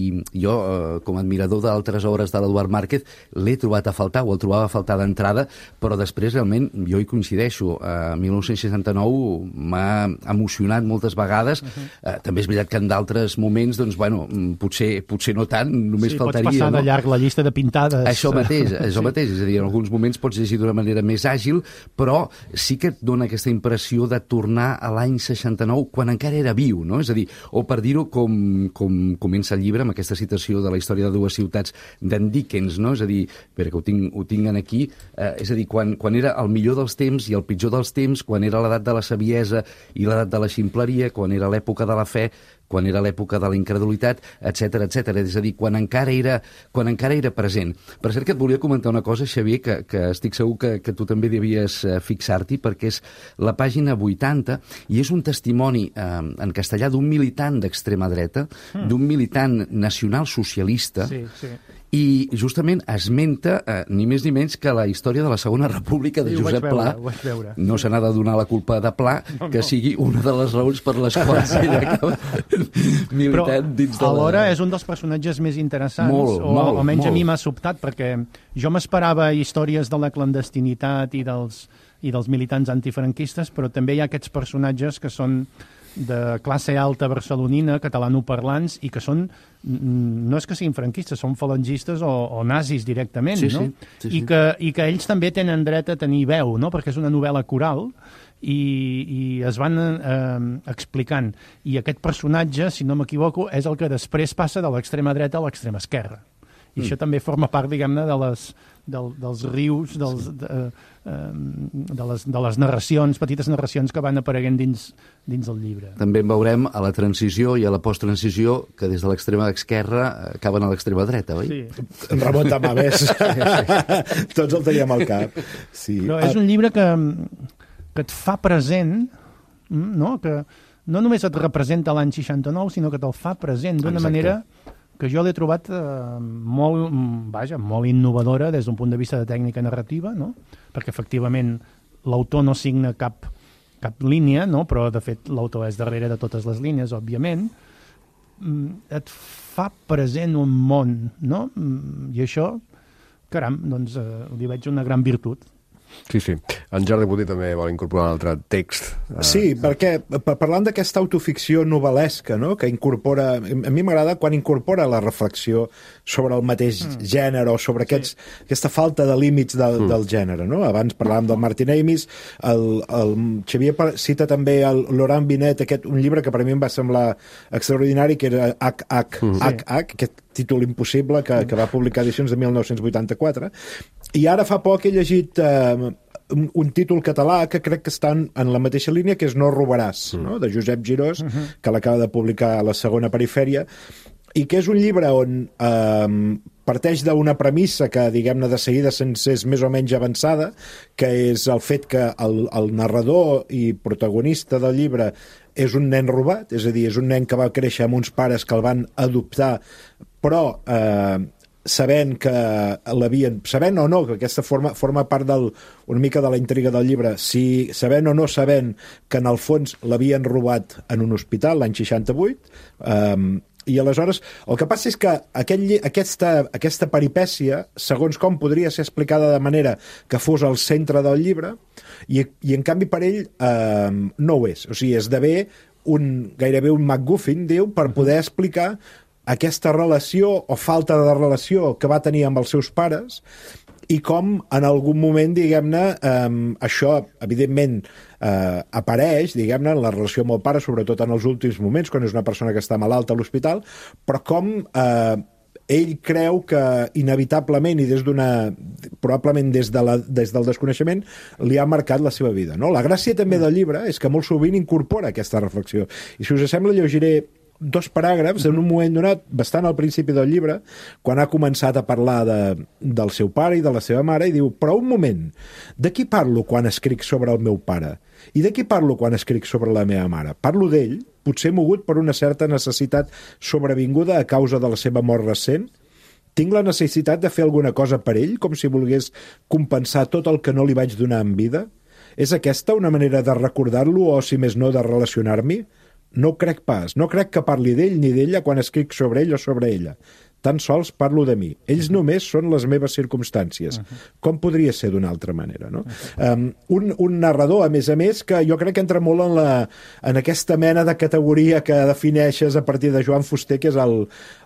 jo, eh, com a admirador d'altres obres de l'Eduard Márquez, l'he trobat a faltar, o el trobava a faltar d'entrada, però després, realment, jo hi coincideixo. A mil nou-cents seixanta-nou m'ha emocionat moltes vegades. Uh-huh. eh, també és veritat que en d'altres moments, doncs, bueno, potser, potser no tant, només sí, faltaria... Pots passar no? de llarg la llista de pintades. Això mateix, això sí. mateix. És a dir, en alguns moments pots llegir d'una manera més àgil, però sí que et dona aquesta impressió de tornar a l'any seixanta-nou, quan encara era viu, no? És a dir, o per dir-ho com, com comença el llibre, amb aquesta citació de la història de dues ciutats d'en Dickens, no? És a dir, espera, que ho tinc, ho tinc aquí, eh, és a dir, quan, quan era el millor dels temps i el pitjor dels temps, quan era l'edat de la saviesa i l'edat de la ximpleria, quan era l'època de la fe, quan era l'època de la incredulitat, etcètera, etcètera. És a dir, quan encara era, quan encara era present. Per cert, que et volia comentar una cosa, Xavier, que, que estic segur que, que tu també devies eh, fixar-t'hi, perquè és la pàgina vuitanta, i és un testimoni eh, en castellà d'un militant d'extrema dreta, mm. d'un militant nacional-socialista, sí, sí. i justament esmenta eh, ni més ni menys que la història de la Segona República de sí, Josep veure, Pla. No se n'ha de donar la culpa de Pla, no, que no. sigui una de les raons per les quals ella acaba militant Però, dins de la... alhora és un dels personatges més interessants, molt, o molt, almenys molt. a mi m'ha sobtat, perquè jo m'esperava històries de la clandestinitat i dels, i dels militants antifranquistes, però també hi ha aquests personatges que són de classe alta barcelonina, catalanoparlants, i que són, no és que siguin franquistes, són falangistes o, o nazis directament, sí, no? Sí, sí, I, sí. que, i que ells també tenen dret a tenir veu, no? Perquè és una novel·la coral, i, i es van eh, explicant. I aquest personatge, si no m'equivoco, és el que després passa de l'extrema dreta a l'extrema esquerra. I mm. això també forma part, diguem-ne, de les, del, dels rius, dels, de, eh, de, les, de les narracions, petites narracions que van apareguent dins, dins del llibre. També en veurem a la transició i a la posttransició, que des de l'extrema esquerra acaben a l'extrema dreta, oi? Sí. Ramon Tamavés. Tots el teníem al cap. Sí. Però és un llibre que, que et fa present, no? Que no només et representa l'any seixanta-nou, sinó que te'l fa present d'una manera que jo l'he trobat eh, molt, vaja, molt innovadora des d'un punt de vista de tècnica narrativa, no? Perquè efectivament l'autor no signa cap, cap línia, no? Però de fet l'autor és darrere de totes les línies, òbviament. Et fa present un món, no? I això, caram, doncs eh, li veig una gran virtut. Sí, sí. En Jordi Boter també vol incorporar un altre text. Sí, perquè parlant d'aquesta autoficció novel·lesca, no?, que incorpora... A mi m'agrada quan incorpora la reflexió sobre el mateix mm. gènere o sobre aquests, sí. aquesta falta de límits del, mm. del gènere, no? Abans parlàvem del Martin Amis, el, el Xavier cita també el Laurent Binet, aquest, un llibre que per a mi em va semblar extraordinari, que era H H mm. H H, aquest títol impossible que, que va publicar edicions de mil nou-cents vuitanta-quatre, i ara fa poc he llegit eh, un, un títol català que crec que està en, en la mateixa línia, que és No robaràs, mm. no?, de Josep Girós, uh -huh. que l'acaba de publicar a la Segona Perifèria, i que és un llibre on eh, parteix d'una premissa que, diguem-ne, de seguida sense és més o menys avançada, que és el fet que el, el narrador i protagonista del llibre és un nen robat, és a dir, és un nen que va créixer amb uns pares que el van adoptar, però eh, sabent que l'havien... Sabent o no, que aquesta forma, forma part del, una mica de la intriga del llibre, si sabent o no sabent que en el fons l'havien robat en un hospital l'any seixanta-vuit, eh, i aleshores el que passa és que aquest, aquesta, aquesta peripècia, segons com podria ser explicada de manera que fos al centre del llibre, i, i en canvi per ell eh, no ho és. O sigui, esdevé un, gairebé un MacGuffin, diu, per poder explicar aquesta relació o falta de relació que va tenir amb els seus pares, i com en algun moment, diguem-ne, eh, això, evidentment, eh, apareix, diguem-ne, en la relació amb el pare, sobretot en els últims moments, quan és una persona que està malalta a l'hospital, però com eh, ell creu que inevitablement i des d'una probablement des, de la, des del desconeixement, li ha marcat la seva vida. No? La gràcia també del llibre és que molt sovint incorpora aquesta reflexió. I si us sembla, llegiré dos paràgrafs en un moment donat, bastant al principi del llibre, quan ha començat a parlar de, del seu pare i de la seva mare, i diu, però un moment, de qui parlo quan escric sobre el meu pare? I de qui parlo quan escric sobre la meva mare? Parlo d'ell, potser mogut per una certa necessitat sobrevinguda a causa de la seva mort recent? Tinc la necessitat de fer alguna cosa per ell, com si volgués compensar tot el que no li vaig donar en vida? És aquesta una manera de recordar-lo o, si més no, de relacionar-m'hi? No ho crec pas. No crec que parli d'ell ni d'ella quan escric sobre ell o sobre ella. Tan sols parlo de mi. Ells només són les meves circumstàncies. Com podria ser d'una altra manera, no? Um, un, un narrador, a més a més, que jo crec que entra molt en, la, en aquesta mena de categoria que defineixes a partir de Joan Fuster, que és el,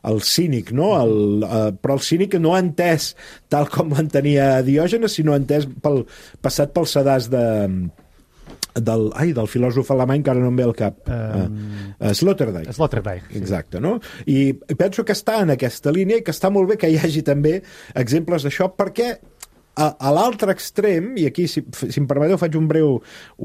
el cínic, no? El, uh, però el cínic no ha entès tal com l'entenia Diògenes, sinó entès pel, passat pel sedàs de... del, ai, del filòsof alemany que ara no em ve al cap, um, uh, Sloterdijk. Sloterdijk, sí. Exacte, no? I penso que està en aquesta línia i que està molt bé que hi hagi també exemples d'això, perquè a, a l'altre extrem, i aquí, si, si em permeteu, faig un breu,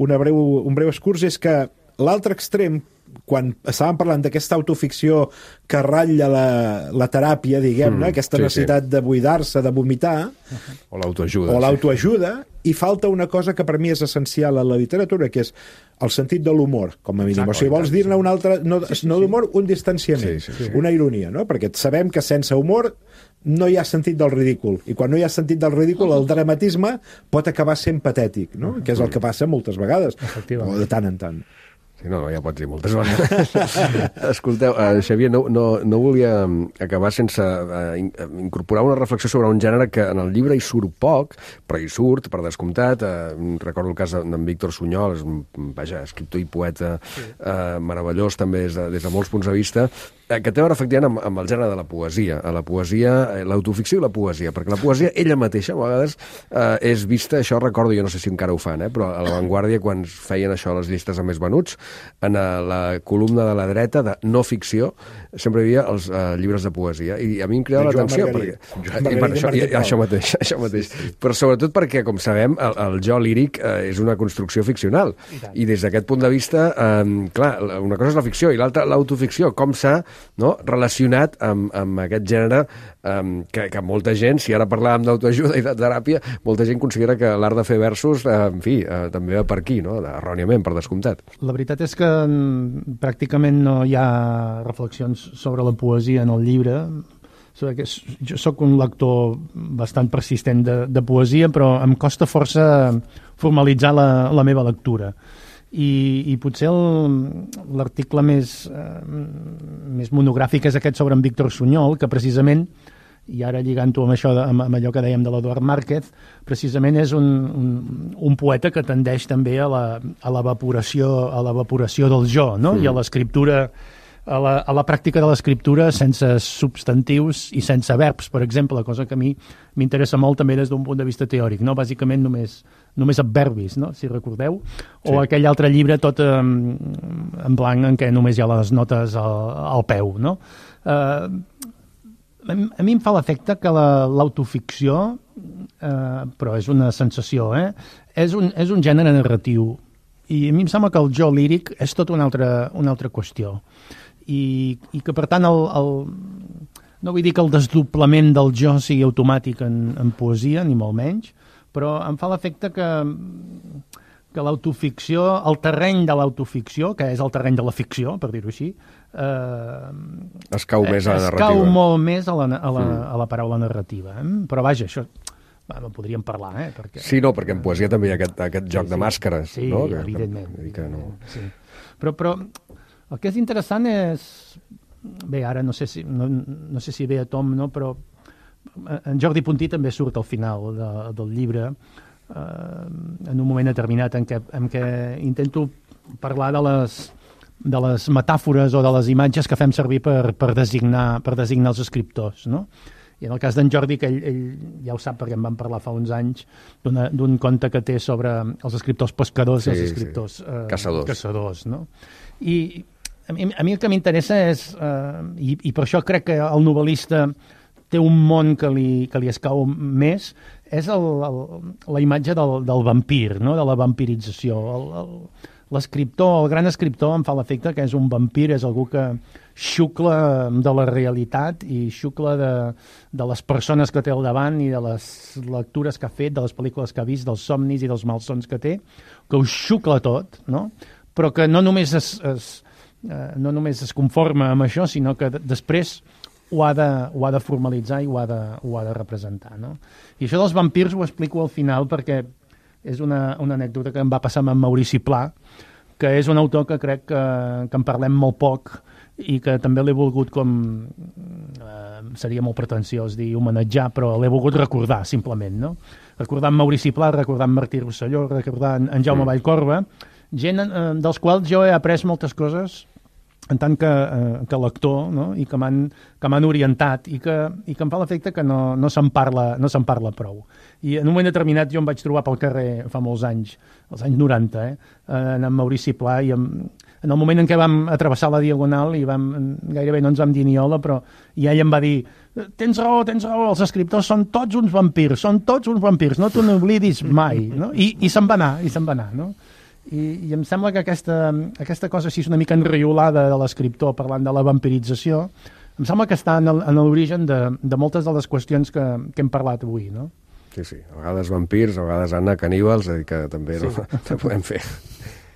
una breu, un breu excurs, és que l'altre extrem, quan estàvem parlant d'aquesta autoficció que ratlla la, la teràpia, diguem-ne, mm, aquesta sí, necessitat sí. de buidar-se, de vomitar, o l'autoajuda, o l'autoajuda, sí. I falta una cosa que per mi és essencial a la literatura, que és el sentit de l'humor, com a mínim. Exacte, o sigui, vols dir-ne un altre, no, sí, sí, no d'humor, un distanciament, sí, sí, sí. una ironia, no? Perquè sabem que sense humor no hi ha sentit del ridícul, i quan no hi ha sentit del ridícul, el dramatisme pot acabar sent patètic, no? Que és el que passa moltes vegades, o de tant en tant. Sí, no, ja pots dir moltes vegades. Escolteu, uh, Xavier, no, no, no volia acabar sense uh, incorporar una reflexió sobre un gènere que en el llibre hi surt poc, però hi surt, per descomptat. Uh, recordo el cas d'en Víctor Sunyol, és un vaja, escriptor i poeta uh, meravellós també des de, des de molts punts de vista, uh, que té a veure efectivament amb, amb el gènere de la poesia, a la poesia, l'autoficció i la poesia, perquè la poesia ella mateixa a vegades uh, és vista, això recordo, jo no sé si encara ho fan, eh, però a l'avantguàrdia, quan feien això les llistes de més venuts, en la columna de la dreta de no ficció sempre hi havia els uh, llibres de poesia, i a mi em cridava l'atenció perquè... I, per això, i, això mateix, això mateix. Sí, sí. Però sobretot perquè, com sabem, el, el jo líric uh, és una construcció ficcional, i, i des d'aquest punt de vista um, clar, una cosa és la ficció i l'altra l'autoficció, com s'ha, no, relacionat amb, amb aquest gènere um, que, que molta gent, si ara parlàvem d'autoajuda i de teràpia, molta gent considera que l'art de fer versos, uh, en fi, uh, també va per aquí, no? Erròniament, per descomptat. La veritat és que pràcticament no hi ha reflexions sobre la poesia en el llibre. Jo sóc un lector bastant persistent de, de poesia, però em costa força formalitzar la, la meva lectura. I, i potser l'article més, eh, més monogràfic és aquest sobre en Víctor Sunyol, que precisament, i ara lligant-ho amb això, amb, amb allò que dèiem de l'Eduard Márquez, precisament és un, un, un poeta que tendeix també a la, a l'evaporació, a l'evaporació del jo, no? Mm. I a l'escriptura, a la, a la pràctica de l'escriptura sense substantius i sense verbs, per exemple, cosa que a mi m'interessa molt també des d'un punt de vista teòric, no? Bàsicament només, només adverbis, no? Si recordeu, o sí. Aquell altre llibre tot en, en blanc en què només hi ha les notes al, al peu, no? Eh, A mi em fa l'efecte que l'autoficció, eh, però és una sensació, eh, és, un, és un gènere narratiu. I a mi em sembla que el jo líric és tota una altra, una altra qüestió. I, i que, per tant, el, el, no vull dir que el desdoblament del jo sigui automàtic en, en poesia, ni molt menys, però em fa l'efecte que, que l'autoficció, el terreny de l'autoficció, que és el terreny de la ficció, per dir-ho així, Eh, es cau més a la narrativa. Es cau molt més a la, a la, mm. a la paraula narrativa. Eh? Però vaja, això va, no podríem parlar, eh? Perquè, sí, no, perquè en poesia també hi ha aquest, aquest joc sí, sí. de màscares. Sí, no? que, evidentment. Que, que no... sí. però, però el que és interessant és... Bé, ara no sé si, no, no sé si ve a tom, no? Però en Jordi Puntí també surt al final de, del llibre, eh, en un moment determinat en què, en què intento parlar de les... de les metàfores o de les imatges que fem servir per, per, designar, per designar els escriptors, no? I en el cas d'en Jordi, que ell, ell ja ho sap perquè en vam parlar fa uns anys, d'un conte que té sobre els escriptors pescadors sí, i els escriptors sí. eh, caçadors. caçadors, no? I a mi, a mi el que m'interessa és, eh, i, i per això crec que el novel·lista té un món que li, que li escau més, és el, el, la imatge del, del vampir, no? De la vampirització. El, el, l'escriptor, el gran escriptor, em fa l'efecte que és un vampir, és algú que xucla de la realitat i xucla de, de les persones que té al davant i de les lectures que ha fet, de les pel·lícules que ha vist, dels somnis i dels malsons que té, que ho xucla tot, no? Però que no només es, es, eh, no només es conforma amb això, sinó que després ho ha de, ho ha de formalitzar i ho ha de, ho ha de representar, no? I això dels vampirs ho explico al final perquè és una, una anècdota que em va passar amb en Maurici Pla, que és un autor que crec que, que en parlem molt poc i que també l'he volgut com... Eh, seria molt pretensiós dir homenatjar, però l'he volgut recordar, simplement, no? Recordar en Maurici Pla, recordar en Martí Rosselló, recordar en, en Jaume Vallcorba, gent eh, dels quals jo he après moltes coses en tant que, eh, que lector, no? I que m'han que m'han orientat i que, i que em fa l'efecte que no, no se'n parla, no se'n parla prou. I en un moment determinat jo em vaig trobar pel carrer fa molts anys, als anys noranta, eh, en Maurici Pla, i en, en el moment en què vam atravessar la Diagonal i vam, gairebé no ens vam dir ni hola, però i ell em va dir, tens raó, tens raó, els escriptors són tots uns vampirs, són tots uns vampirs, no t'ho n'oblidis mai, no? I, i se'n va anar, i se'n va anar, no? I, i em sembla que aquesta, aquesta cosa així una mica enriolada de l'escriptor parlant de la vampirització, em sembla que està en l'origen de, de moltes de les qüestions que, que hem parlat avui, no? Sí, sí, a vegades vampirs, a vegades Anna, caníbals, és a dir que també sí. no, no podem fer.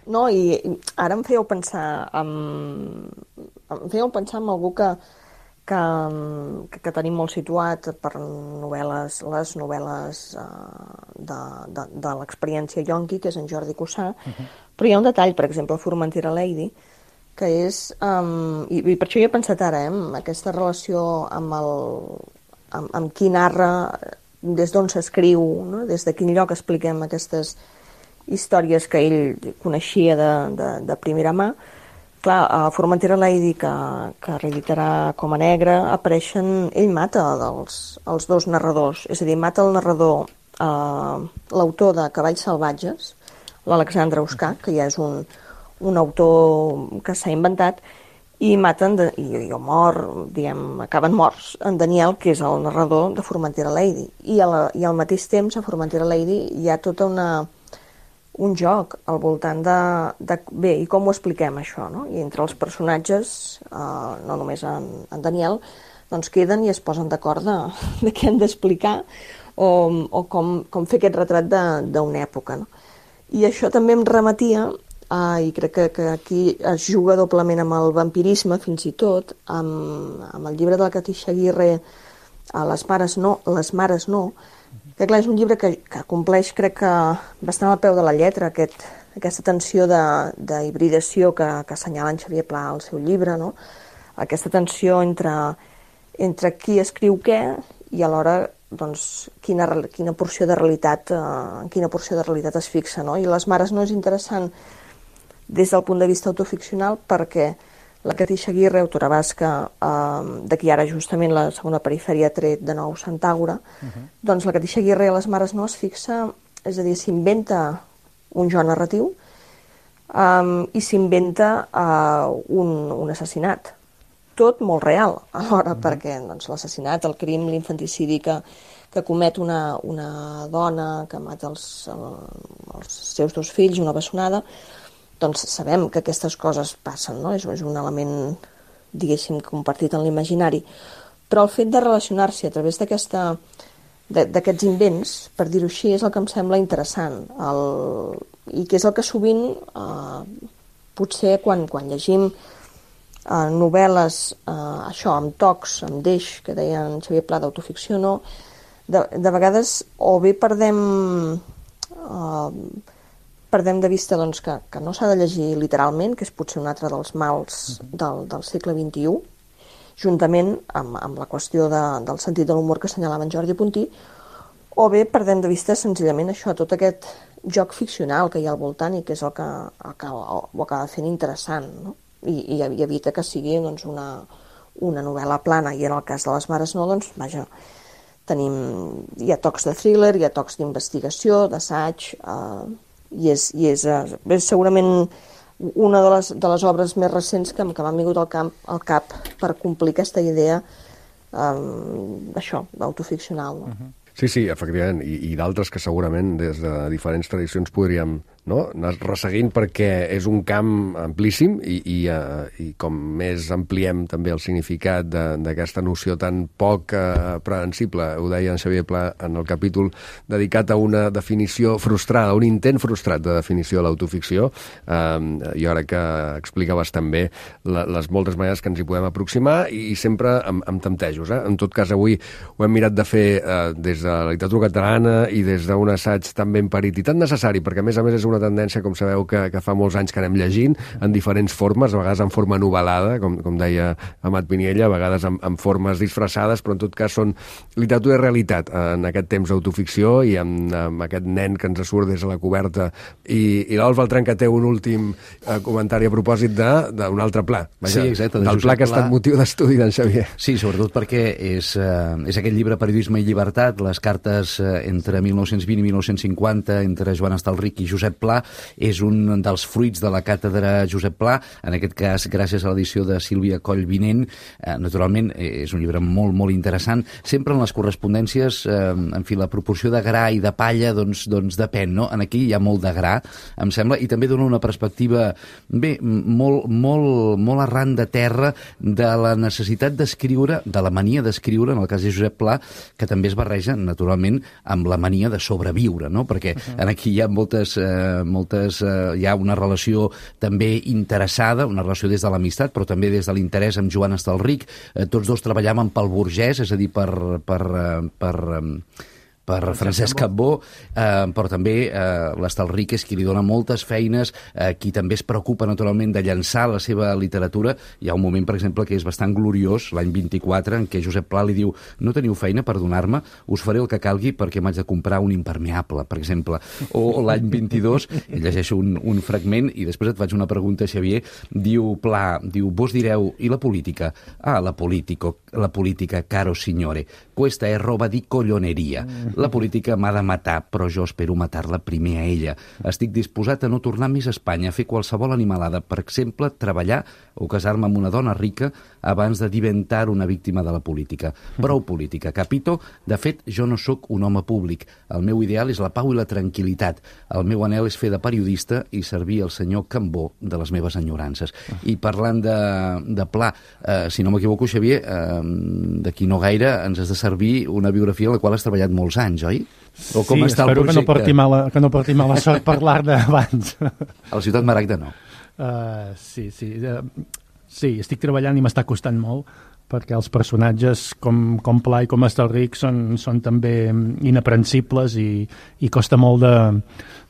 No, i ara em fèieu pensar en, em fèieu pensar en algú que, que, que, que tenim molt situat per novel·les, les novel·les uh, de, de, de l'experiència yonqui, que és en Jordi Cussà, uh-huh. Però hi ha un detall, per exemple, Formentera Lady, que és, um, i, i per això jo he pensat ara, eh, aquesta relació amb, el, amb, amb qui narra, des d'on s'escriu, no? Des de quin lloc expliquem aquestes històries que ell coneixia de, de, de primera mà. Clar, a Formentera Lady, que, que reeditarà Com a Negre, apareixen... Ell mata els, els dos narradors, és a dir, mata el narrador, eh, l'autor de Cavalls Salvatges, l'Alexandre Oscar, que ja és un, un autor que s'ha inventat, i maten, de, i, i mor, diguem, acaben morts, en Daniel, que és el narrador de Formentera Lady. I, a la, i al mateix temps, a Formentera Lady, hi ha tota una... un joc al voltant de, de... Bé, i com ho expliquem, això, no? I entre els personatges, eh, no només en, en Daniel, doncs queden i es posen d'acord de, de què han d'explicar o, o com, com fer aquest retrat d'una època, no? I això també em remetia, eh, i crec que, que aquí es juga doblement amb el vampirisme, fins i tot, amb, amb el llibre de la Catixa Aguirre, a Les mares no, les mares no, que clar, és un llibre que, que compleix, crec que bastant al peu de la lletra, aquest, aquesta tensió d'hibridació que, que assenyala en Xavier Pla al seu llibre, no? Aquesta tensió entre, entre qui escriu què i alhora doncs, quina, quina porció de realitat eh, quina porció de realitat es fixa, no? I Les mares no és interessant des del punt de vista autoficcional perquè la Catixa Aguirre, autora basca, eh, de qui ara justament la segona perifèria ha tret de nou Santàgora, uh-huh. Doncs la Catixa Aguirre a Les mares no es fixa, és a dir, s'inventa un jo narratiu um, i s'inventa uh, un, un assassinat. Tot molt real, alhora, uh-huh. Perquè doncs, l'assassinat, el crim, l'infanticidi que, que comet una, una dona que mata els, el, els seus dos fills, una bessonada, doncs sabem que aquestes coses passen, no? És, és un element, diguéssim, compartit en l'imaginari. Però el fet de relacionar-s'hi a través d'aquesta, d'aquests invents, per dir-ho així, és el que em sembla interessant. El, I que és el que sovint, eh, potser quan, quan llegim eh, novel·les, eh, això, amb tocs, amb deix, que deia en Xavier Pla d'autoficció, no? De, de vegades o bé perdem... Eh, perdem de vista doncs, que, que no s'ha de llegir literalment, que és potser un altre dels mals del, del segle vint-i-u, juntament amb, amb la qüestió de, del sentit de l'humor que assenyalava en Jordi Puntí, o bé perdem de vista senzillament això, tot aquest joc ficcional que hi ha al voltant i que és el que, el que ho acaba fent interessant, no? I, i, i evita que sigui doncs, una, una novel·la plana, i en el cas de Les mares no, doncs, vaja, tenim, hi ha tocs de thriller, hi ha tocs d'investigació, d'assaig, eh, i és, i és, és segurament una de les, de les obres més recents que, que m'han vingut al, camp, al cap per complir aquesta idea eh, això, autoficcional. No? Uh-huh. Sí, sí, efectivament, i, i d'altres que segurament des de diferents tradicions podríem, no, anar resseguint, perquè és un camp amplíssim i, i, uh, i com més ampliem també el significat d'aquesta noció tan poc uh, prehensible, ho deia en Xavier Pla en el capítol dedicat a una definició frustrada, un intent frustrat de definició de l'autoficció, uh, i ara que explicaves també la, les moltes maneres que ens hi podem aproximar i, i sempre amb, amb temptejos. Eh? En tot cas, avui ho hem mirat de fer uh, des de la literatura catalana i des d'un assaig tan ben parit i tan necessari, perquè a més a més és una tendència, com sabeu, que, que fa molts anys que anem llegint en diferents formes, a vegades en forma novel·lada, com, com deia Amat Piniella, a vegades en, en formes disfressades, però en tot cas són literatura i realitat en aquest temps d'autoficció i amb, amb aquest nen que ens surt des de la coberta. I, i l'Alf Beltran, que té un últim eh, comentari a propòsit d'un altre pla. Vaja, sí, exacte. Del pla que ha estat motiu d'estudi d'en Xavier. Sí, sobretot perquè és, eh, és aquest llibre Periodisme i llibertat, les cartes eh, entre mil nou-cents vint i mil nou-cents cinquanta entre Joan Estalric i Josep Pla, és un dels fruits de la càtedra Josep Pla, en aquest cas gràcies a l'edició de Sílvia Coll Vinent. Eh, naturalment, és un llibre molt, molt interessant. Sempre en les correspondències, eh, en fi, la proporció de gra i de palla, doncs, doncs depèn, no? En aquí hi ha molt de gra, em sembla, i també dona una perspectiva, bé, molt, molt, molt arran de terra de la necessitat d'escriure, de la mania d'escriure, en el cas de Josep Pla, que també es barreja, naturalment, amb la mania de sobreviure, no? Perquè uh-huh. en aquí hi ha moltes, eh, moltes eh, hi ha una relació també interessada, una relació des de l'amistat, però també des de l'interès amb Joan Estalric. Eh, tots dos treballaven pel burgès, és a dir, per... per, per, per per Francesc Cambó, eh, però també eh, l'Estalric és qui li dona moltes feines, eh, qui també es preocupa naturalment de llançar la seva literatura. Hi ha un moment, per exemple, que és bastant gloriós, l'any vint-i-quatre, en què Josep Pla li diu: no teniu feina per donar-me, us faré el que calgui perquè m'haig de comprar un impermeable, per exemple. O l'any vint-i-dos, llegeixo un, un fragment i després et faig una pregunta, Xavier, diu Pla, diu, vos direu, i la política? Ah, la, politico, la política, caro signore, questa è roba di colloneria. La política m'ha de matar, però jo espero matar-la primer a ella. Estic disposat a no tornar més a Espanya, a fer qualsevol animalada, per exemple, treballar o casar-me amb una dona rica abans de diventar una víctima de la política. Prou política, capito? De fet, jo no sóc un home públic. El meu ideal és la pau i la tranquil·litat. El meu anhel és fer de periodista i servir el senyor Cambó de les meves enyorances. I parlant de, de Pla, eh, si no m'equivoco, Xavier, eh, d'aquí no gaire ens has de servir una biografia en la qual has treballat molts anys, oi? O com sí, està espero el que no porti mala, que no porti mala sort parlar-ne abans. A la Ciutat Maragda no. Uh, sí, sí. Uh, sí, estic treballant i m'està costant molt, perquè els personatges com, com Pla i com Estalric són, són també inaprensibles i, i costa molt de,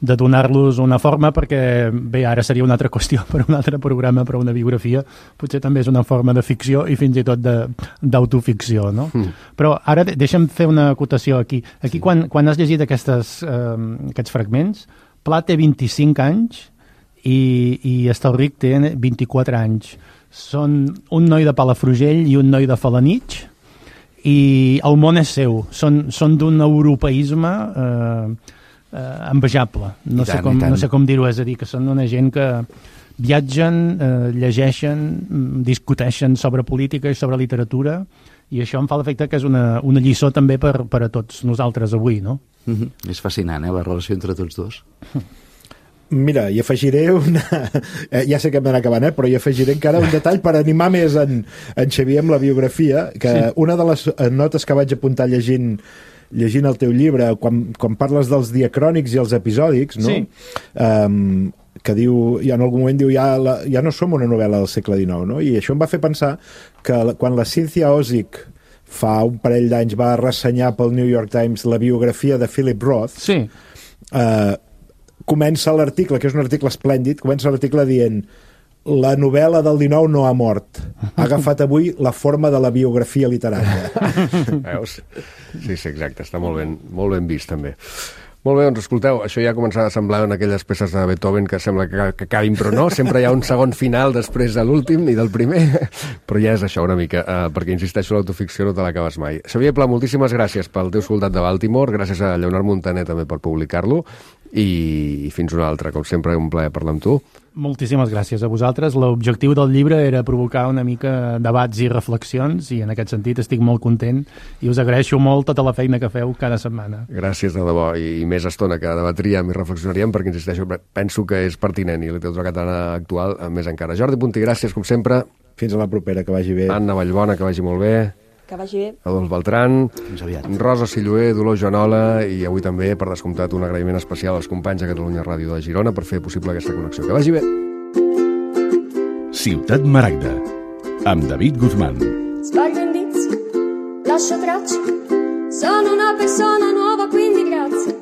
de donar-los una forma, perquè bé, ara seria una altra qüestió per un altre programa, però una biografia potser també és una forma de ficció i fins i tot d'autoficció, no? Mm. Però ara deixa'm fer una acotació aquí. Aquí, sí. quan, quan has llegit aquestes, eh, aquests fragments, Pla té vint-i-cinc anys i, i Estalric té vint-i-quatre anys. Són un noi de Palafrugell i un noi de Felanitx i el món és seu. Són, són d'un europeisme eh, eh, envejable. No, tant, sé com, no sé com dir-ho, és a dir, que són una gent que viatgen, eh, llegeixen, discuteixen sobre política i sobre literatura, i això em fa l'efecte que és una, una lliçó també per, per a tots nosaltres avui, no? Mm-hmm. És fascinant, eh, la relació entre tots dos. Mira, hi afegiré una... Ja sé que hem d'anar acabant, eh? Però hi afegiré encara un detall per animar més en, en Xavier amb la biografia, que sí. Una de les notes que vaig apuntar llegint llegint el teu llibre, quan, quan parles dels diacrònics i els episòdics, no? Sí. Um, que diu, ja en algun moment diu, ja, la, ja no som una novel·la del segle dinou, no? I això em va fer pensar que la, quan la Cynthia Ozick fa un parell d'anys va ressenyar pel New York Times la biografia de Philip Roth, sí. eh, comença l'article, que és un article esplèndid, comença l'article dient: la novel·la del dinou no ha mort. Ha agafat avui la forma de la biografia literària. Veus? Sí, sí, exacte. Està molt ben, molt ben vist, també. Molt bé, doncs escolteu, això ja comença a semblar en aquelles peces de Beethoven que sembla que, que acabin, però no, sempre hi ha un segon final després de l'últim i del primer, però ja és això una mica, eh, perquè insisteixo, l'autoficció no te l'acabes mai. Xavier Pla, moltíssimes gràcies pel teu soldat de Baltimore, gràcies a Lleonard Montaner també per publicar-lo, i fins una altra. Com sempre, un plaer parlar amb tu. Moltíssimes gràcies a vosaltres. L'objectiu del llibre era provocar una mica debats i reflexions, i en aquest sentit estic molt content i us agraeixo molt tota la feina que feu cada setmana. Gràcies, de debò, i més estona que debatríem i reflexionaríem, perquè, insisteixo, penso que és pertinent, i la literatura catalana actual més encara. Jordi Puntí, gràcies, com sempre. Fins a la propera, que vagi bé. Anna Vallbona, que vagi molt bé. Que vagi bé. Adolf Beltran, Fins aviat. Rosa Silloé, Dolors Joanola, i avui també, per descomptat, un agraïment especial als companys de Catalunya Ràdio de Girona per fer possible aquesta connexió. Que vagi bé. Ciutat Maragda, amb David Guzmán. Sbaglio indizi, lascio tracce, sono una persona nuova, quindi grazie,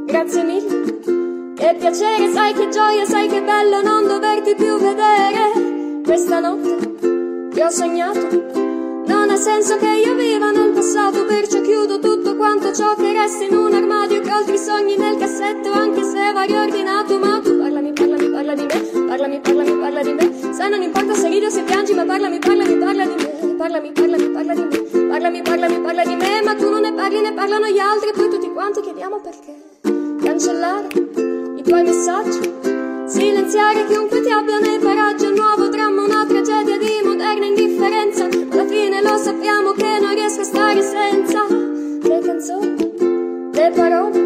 grazie mille. Che piacere, sai che gioia, sai che bello non doverti più vedere. Questa notte che ho sognato non ha senso che io viva nel passato, perciò chiudo tutto quanto ciò che resta in un armadio, che altri sogni nel cassetto, anche se va riordinato. Ma tu parlami, parlami, parla di me, parlami, parlami, parla di me. Se non importa se ridi o se piangi, ma parlami, parlami, parla di me. Parlami, parlami, parla di me, parlami, parlami, parla di me. Ma tu non ne parli, ne parlano gli altri, e poi tutti quanti chiediamo perché. Cancellare i tuoi messaggi, silenziare chiunque ti abbia nei paraggi, un nuovo dramma, una tragedia di moderna indifferenza. Alla fine lo sappiamo che non riesco a stare senza le canzoni, le parole.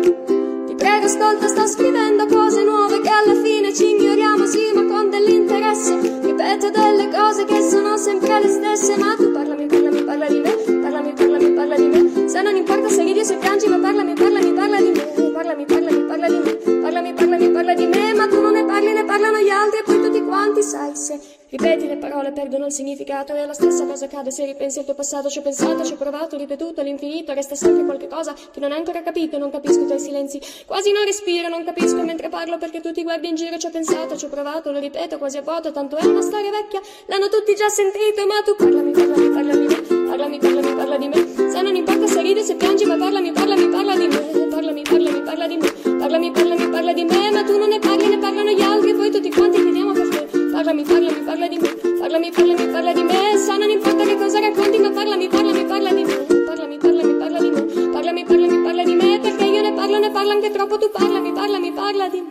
Ti prego ascolta, sto scrivendo cose nuove, che alla fine ci ignoriamo, sì, ma con dell'interesse. Ripeto delle cose che sono sempre le stesse. Ma tu parlami, parlami, parla di me, parlami, parlami, parla di me. Se non importa se ridi o se piangi, ma parlami, parlami, parla di me. Parlami, parlami, parla di me, parlami, parlami, parla di me. Ma tu non ne parli, ne parlano gli altri, e poi tutti quanti, sai, se ripeti le parole perdono il significato, e la stessa cosa accade se ripensi al tuo passato. Ci ho pensato, ci ho provato, ripetuto all'infinito, resta sempre qualche cosa che non hai ancora capito. Non capisco i tuoi silenzi, quasi non respiro, non capisco mentre parlo perché tu ti guardi in giro. Ci ho pensato, ci ho provato, lo ripeto quasi a vuoto, tanto è una storia vecchia, l'hanno tutti già sentito. Ma tu parlami, parlami, parla di me, parlami, parlami, parla di me. Se non importa se ridi o se piangi, ma parlami, parlami, parla di me. Parlami, parlami, parla di me, parlami, parlami, parla di me. Ma tu non ne parli, ne parlano gli altri, e poi tutti quanti chiediamo perché. Parlami, parlami, parla di me, parlami, parlami, parla di me. Se non importa che cosa racconti, ma parlami, parlami, parla di me. Parlami, parlami, parla di me, parlami, parlami, parla di me. Perché io ne parlo, ne parlo anche troppo. Tu parlami, parlami, parla di me.